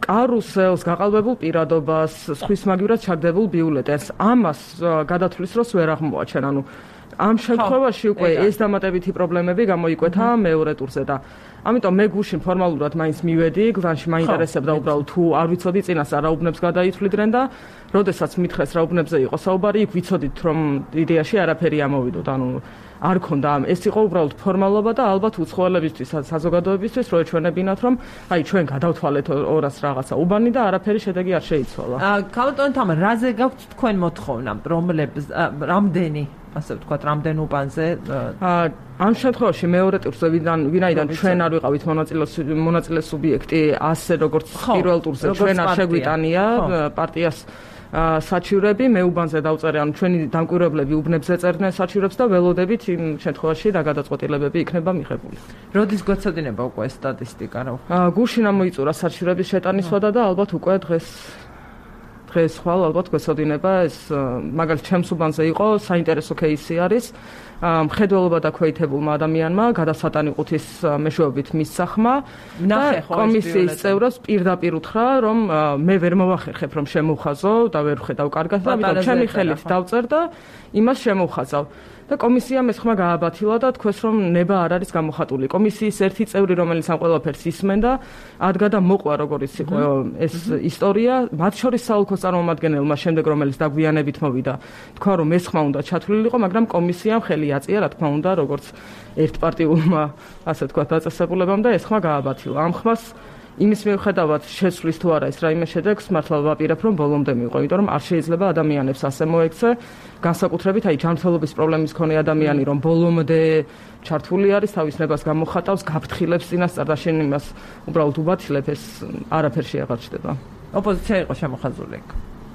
კარუსელს გაყალბებულ პირადობას სხვის მაგივრად ჩაგდებულ ბიულეტენს ამას გადათვლის დროს ვერ აღმოაჩენ ანუ ამ შემთხვევაში უკვე ეს დამატებითი პრობლემები გამოიკვეთა მეორე ტურზე და ამიტომ მე გუშინ ფორმალურად მაინც მივედი გლანში მაინტერესებდა უბრალოდ თუ არ ვიცოდი წინას რა უბნებს გადაითვლიდნენ და როდესაც მითხრეს რა უბნებზე იყო საუბარი იქ ვიცოდით რომ იდეაში არაფერი ამოვიდოთ ანუ არ ქონდა ეს იყო უბრალოდ ფორმალობა და ალბათ უცხოელებისთვის საზოგადოებისთვის რო ეჩვენებინათ რომ აი ჩვენ გადავთვალეთ 200 რაღაცა უბანი და არაფერი შედეგი არ შეიცვალა. კალტონ თამარ რაზე გაქვთ თქვენ მოთხოვნა რომლებს რამდენი ასე ვთქვათ, რამდენ უბანზე? ამ შემთხვევაში მეორე ტურზე ვინაიდან ჩვენ არ ვიყავით მონაწილე სუბიექტი, ასე როგორც პირველ ტურზე ჩვენ არ შეგვიტანია პარტიას საჩივრები, მე უბანზე დავწერე, ანუ ჩვენი დამკვირვებლები უბნებზე წერდნენ საჩივრებს და ველოდებით იმ შემთხვევაში რა გადაწყვეტილებები იქნება მიღებული. როდის გვეცოდინება უკვე სტატისტიკა რა? გუშინ ამოიწურა საჩივრების შეტანისვადა და ალბათ უკვე დღეს ხვალ ალბათ გვეცოდინება ეს მაგალითად ჩემს უბანზე იყო საინტერესო кейსი არის მხედველობა დაქვეითებულმა ადამიანმა გადასატანი ყუთის მეშვეობით მისცახმა და კომისიის წევრებს პირდაპირ უთხრა რომ მე ვერ მოვახერხებ რომ შემოვხაზო და ვერ ვხედავ კარგად და ამიტომ ჩემი ხელით დავწერ და იმას შემოვხაზავ და კომისიამ ეს ხმა გააბათილა და თქვეს რომ ნება არ არის გამოხატული. კომისიის ერთი წევრი რომელიც ამ ყველაფერს ისმენდა ადგა და მოყვა როგორიც იყო ეს ისტორია, მათ შორის საოლქოს წარმომადგენელმა შემდეგ რომელიც დაგვიანებით მოვიდა თქვა რომ ეს ხმა უნდა ჩათვლილიყო, მაგრამ კომისიამ ხელი აწია რა თქმა უნდა როგორც ერთპარტიულმა ასე თქვა დაწესებულებამ და ეს ხმა გააბათილა. ამ ხმას იმის მიუხედავად შეცვლის თუ არა ეს რაიმე შედეგს მართლა ვაპირებ რომ ბოლომდე მიიღო, იმიტომ რომ არ შეიძლება ადამიანებს ასე მოექცე, განსაკუთრებით აი ჯანმრთელობის პრობლემის მქონე ადამიანი რომ ბოლომდე ჩართული არის, თავის ნებას გამოხატავს, გაფრთხილებს წინასწარ და შენ იმას უბრალოდ უბათილებ, ეს არაფერში აღარ ჩდება. ოპოზიცია იყო შემოხაზული.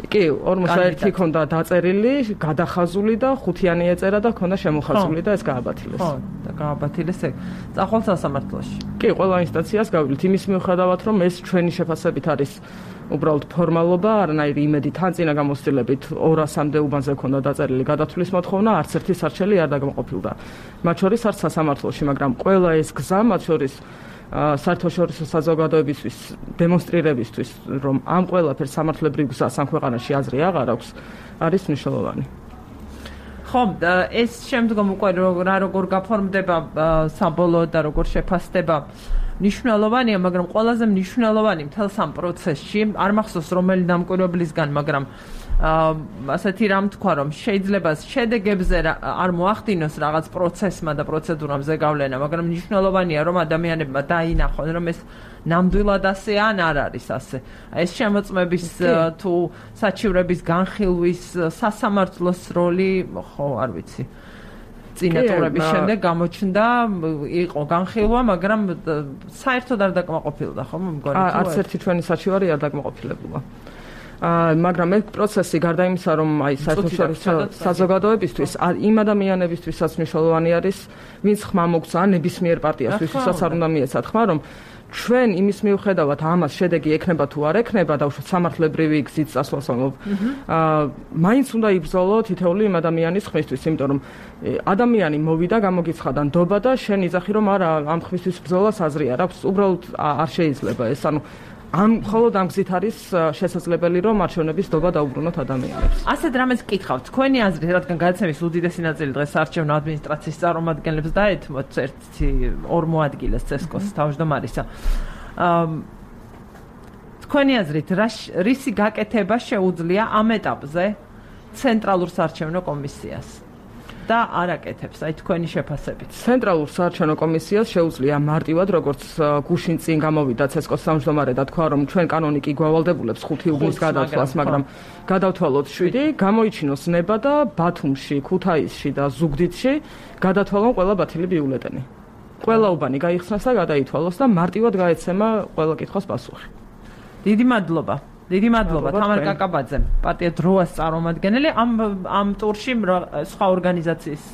კი, 41 ქონდა დაწერილი, გადახაზული და 5-იანი ეწერა და ქონდა შემოხაზული და ეს გააბათილეს. ხო, და გააბათილეს ეგ. წახვალ სასამართლოში. კი, ყველა ინსტანციას გავივლით იმის მიუხედავად, რომ ეს ჩვენი შეფასებით არის უბრალოდ ფორმალობა, არანაირი იმედი თან წინა გამოცდილებით 200-მდე უბანზე ქონდა დაწერილი გადათვლის მოთხოვნა, არც ერთი სარჩელი არ დაგმოყოფილდა. მათ შორის არც სასამართლოში, მაგრამ ყველა ეს გზა, მათ შორის საერთაშორისო საზოგადოებისთვის დემონსტრირებისთვის, რომ ამ ყველაფერს სამართლებრივ გზას ამ ქვეყანაში აზრი აღარ აქვს, არის მნიშვნელოვანი. ხო, ეს შემდგომ უკვე რა როგორ გაფორმდება საბოლოოდ და როგორ შეფასდება მნიშვნელოვანია, მაგრამ ყველაზე მნიშვნელოვანი მთელს ამ პროცესში, არ მახსოვს რომელი დამკვირვებლისგან, მაგრამ ასეთი რამ თქვა, რომ შეიძლება შედეგებზე არ მოახდინოს რაღაც პროცესმა და პროცედურამ ზეგავლენა, მაგრამ მნიშვნელოვანია, რომ ადამიანებმა დაინახონ, რომ ეს ნამდვილად ასე ან არ არის ასე. ეს შემოწმების თუ საჩივრების განხილვის სასამართლოს როლი, ხო, არ ვიცი. წინა ტურების შემდეგ გამოჩნდა, იყო განხილვა, მაგრამ საერთოდ არ დაკმაყოფილდა, ხო, მგონი თუ არც ერთი ჩვენი საჩივარი არ დაკმაყოფილებულა. მაგრამ ეს პროცესი გარდა იმისა, რომ აი საერთაშორისო საზოგადოებისთვის, იმ ადამიანებისთვისაც მნიშვნელოვანი არის, ვინც ხმა მოგცა ნებისმიერ პარტიას, ვისაც არ უნდა მიეცათ ხმა, რომ ჩვენ იმის მიუხედავად ამას შედეგი ექნება თუ არ ექნება და უშუალოდ სამართლებრივი გზით წასვლას ამობ. მაინც უნდა იბრძოლო თითოეული იმ ადამიანის ხმისთვის, იმიტომ რომ ადამიანი მოვიდა, გამოგიცხადა ნდობა და შენ იძახი რომ არა, ამ ხმისთვის ბრძოლას აზრი არ აქვს, უბრალოდ არ შეიძლება ეს, ანუ მხოლოდ ამ გზით არის შესაძლებელი რომ არჩევნების ნდობა დაუბრუნოთ ადამიანებს. ასეთ რამეს გკითხავთ, თქვენი აზრით, რადგან გადაცემის უდიდესი ნაწილი დღეს არჩევნო ადმინისტრაციის წარმომადგენლებს დაეთმოთ ერთი 2 მოადგილეს CSKOS თავმჯდომარისა. თქვენი აზრით, რისი გაკეთება შეუძლია ამ ეტაპზე ცენტრალურ საარჩევნო კომისიას? და არ აკეთებს, აი თქვენი შეფასებით. ცენტრალურ საარჩევნო კომისიას შეუძლია მარტივად, როგორც გუშინ წინ გამოვიდა CSKOS თავმჯდომარე და თქვა, რომ ჩვენ კანონიკი გვავალდებულებს 5 უბნის გადათვლას, მაგრამ გადავთვალოთ 7, გამოიჩინოს ნება და ბათუმში, ქუთაისში და ზუგდიდში გადათვალონ ყველა ბათილი ბიულეტენი. ყველა უბანი გაიხსნას და გადაითვალოს და მარტივად გაეცემა ყველა კითხვის პასუხი. დიდი მადლობა. დიდი მადლობა თამარ კაკაბაძე, პარტია დროას წარმომადგენელი, ამ ტურში სხვა ორგანიზაციის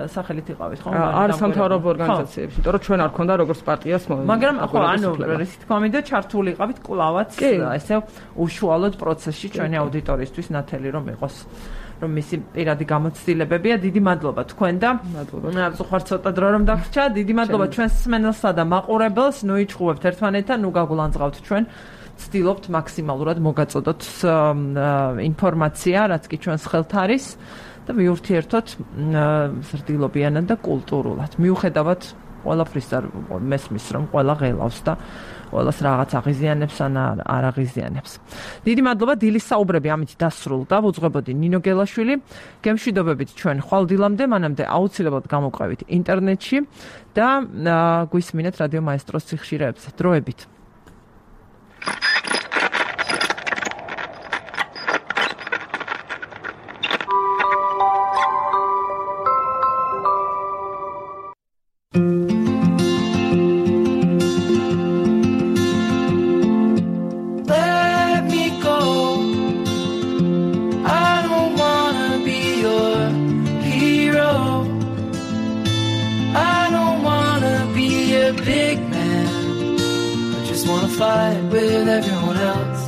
სახელით იყავით, ხო? არ სამთავრობო ორგანიზაციებში, იმიტომ რომ ჩვენ არ ქონდა როგორც პარტიას მოვლენა. მაგრამ ხო, ანუ ისეთ კომიტეტ ჩართული იყავით კვლავაც, ესე უშუალოდ პროცესში ჩვენი აუდიტორიისთვის ნათელი რომ იყოს. რომ მისი პირადი გამოცდილებებია. დიდი მადლობა თქვენ და მადლობა. ხარ ცოტა დრო რომ დაგვრჩა. დიდი მადლობა ჩვენს მსმენელსა და მაყურებელს. ნუ იჭყუებთ ერთმანეთთან, ნუ გაგულანძღავთ ჩვენ. ვცდილობთ მაქსიმალურად მოგაწოდოთ ინფორმაცია, რაც კი ჩვენს ხელთ არის და ვიურთიერთოთ ზრდილობიანად და კულტურულად. მიუხედავად ყველაფრის მესმის რომ ყველა ღელავს და ყველას რაღაც აღიზიანებს ან არ აღიზიანებს. დიდი მადლობა, დილის საუბრები ამით დასრულდა. ვუძღვებოდი ნინო გელაშვილი. გემშვიდობებით ჩვენ ხვალდილამდე, მანამდე აუცილებლად გამოყვებით ინტერნეტში და გვისმინეთ რადიო მაესტროს სიხშირეებზე. დროებით. fight with everyone else.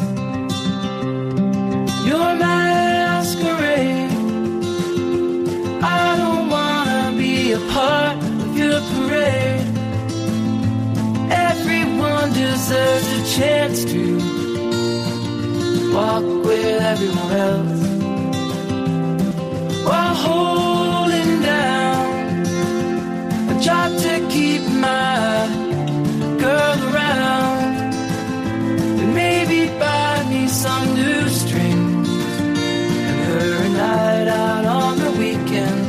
Your masquerade. I don't wanna be a part of your parade. Everyone deserves a chance to walk with everyone else while holding down a job to keep my girl around and maybe buy me some new strings and her a night out on the weekend,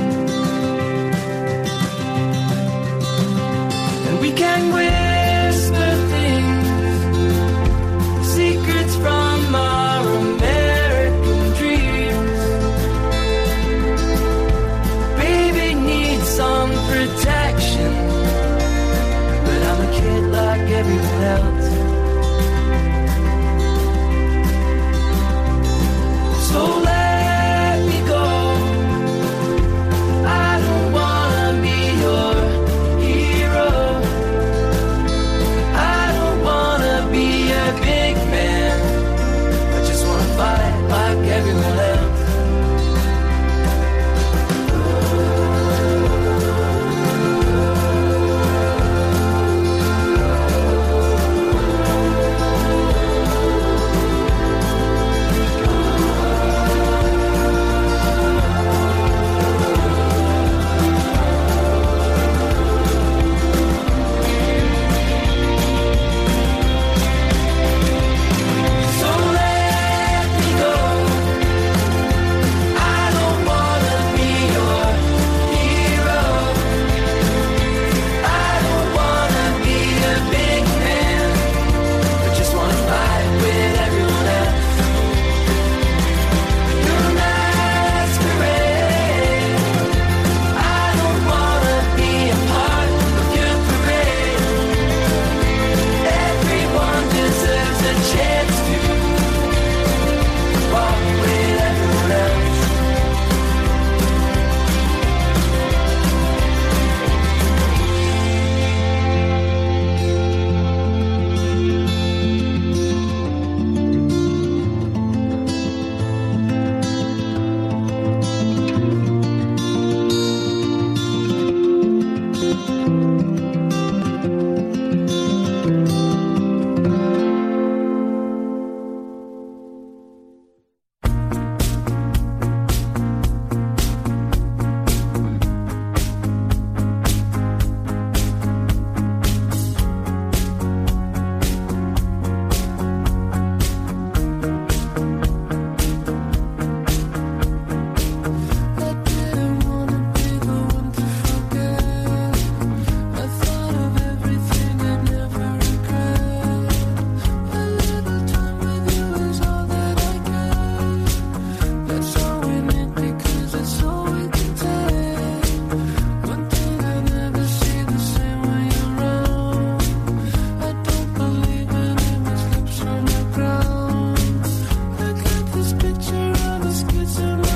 and we can whisper things, secrets from our American dreams. Baby needs some protection, but I'm a kid like everyone else. So let me go. I don't wanna be your hero. I don't wanna be a big man. I just wanna fight like everyone else. Picture of a schizo.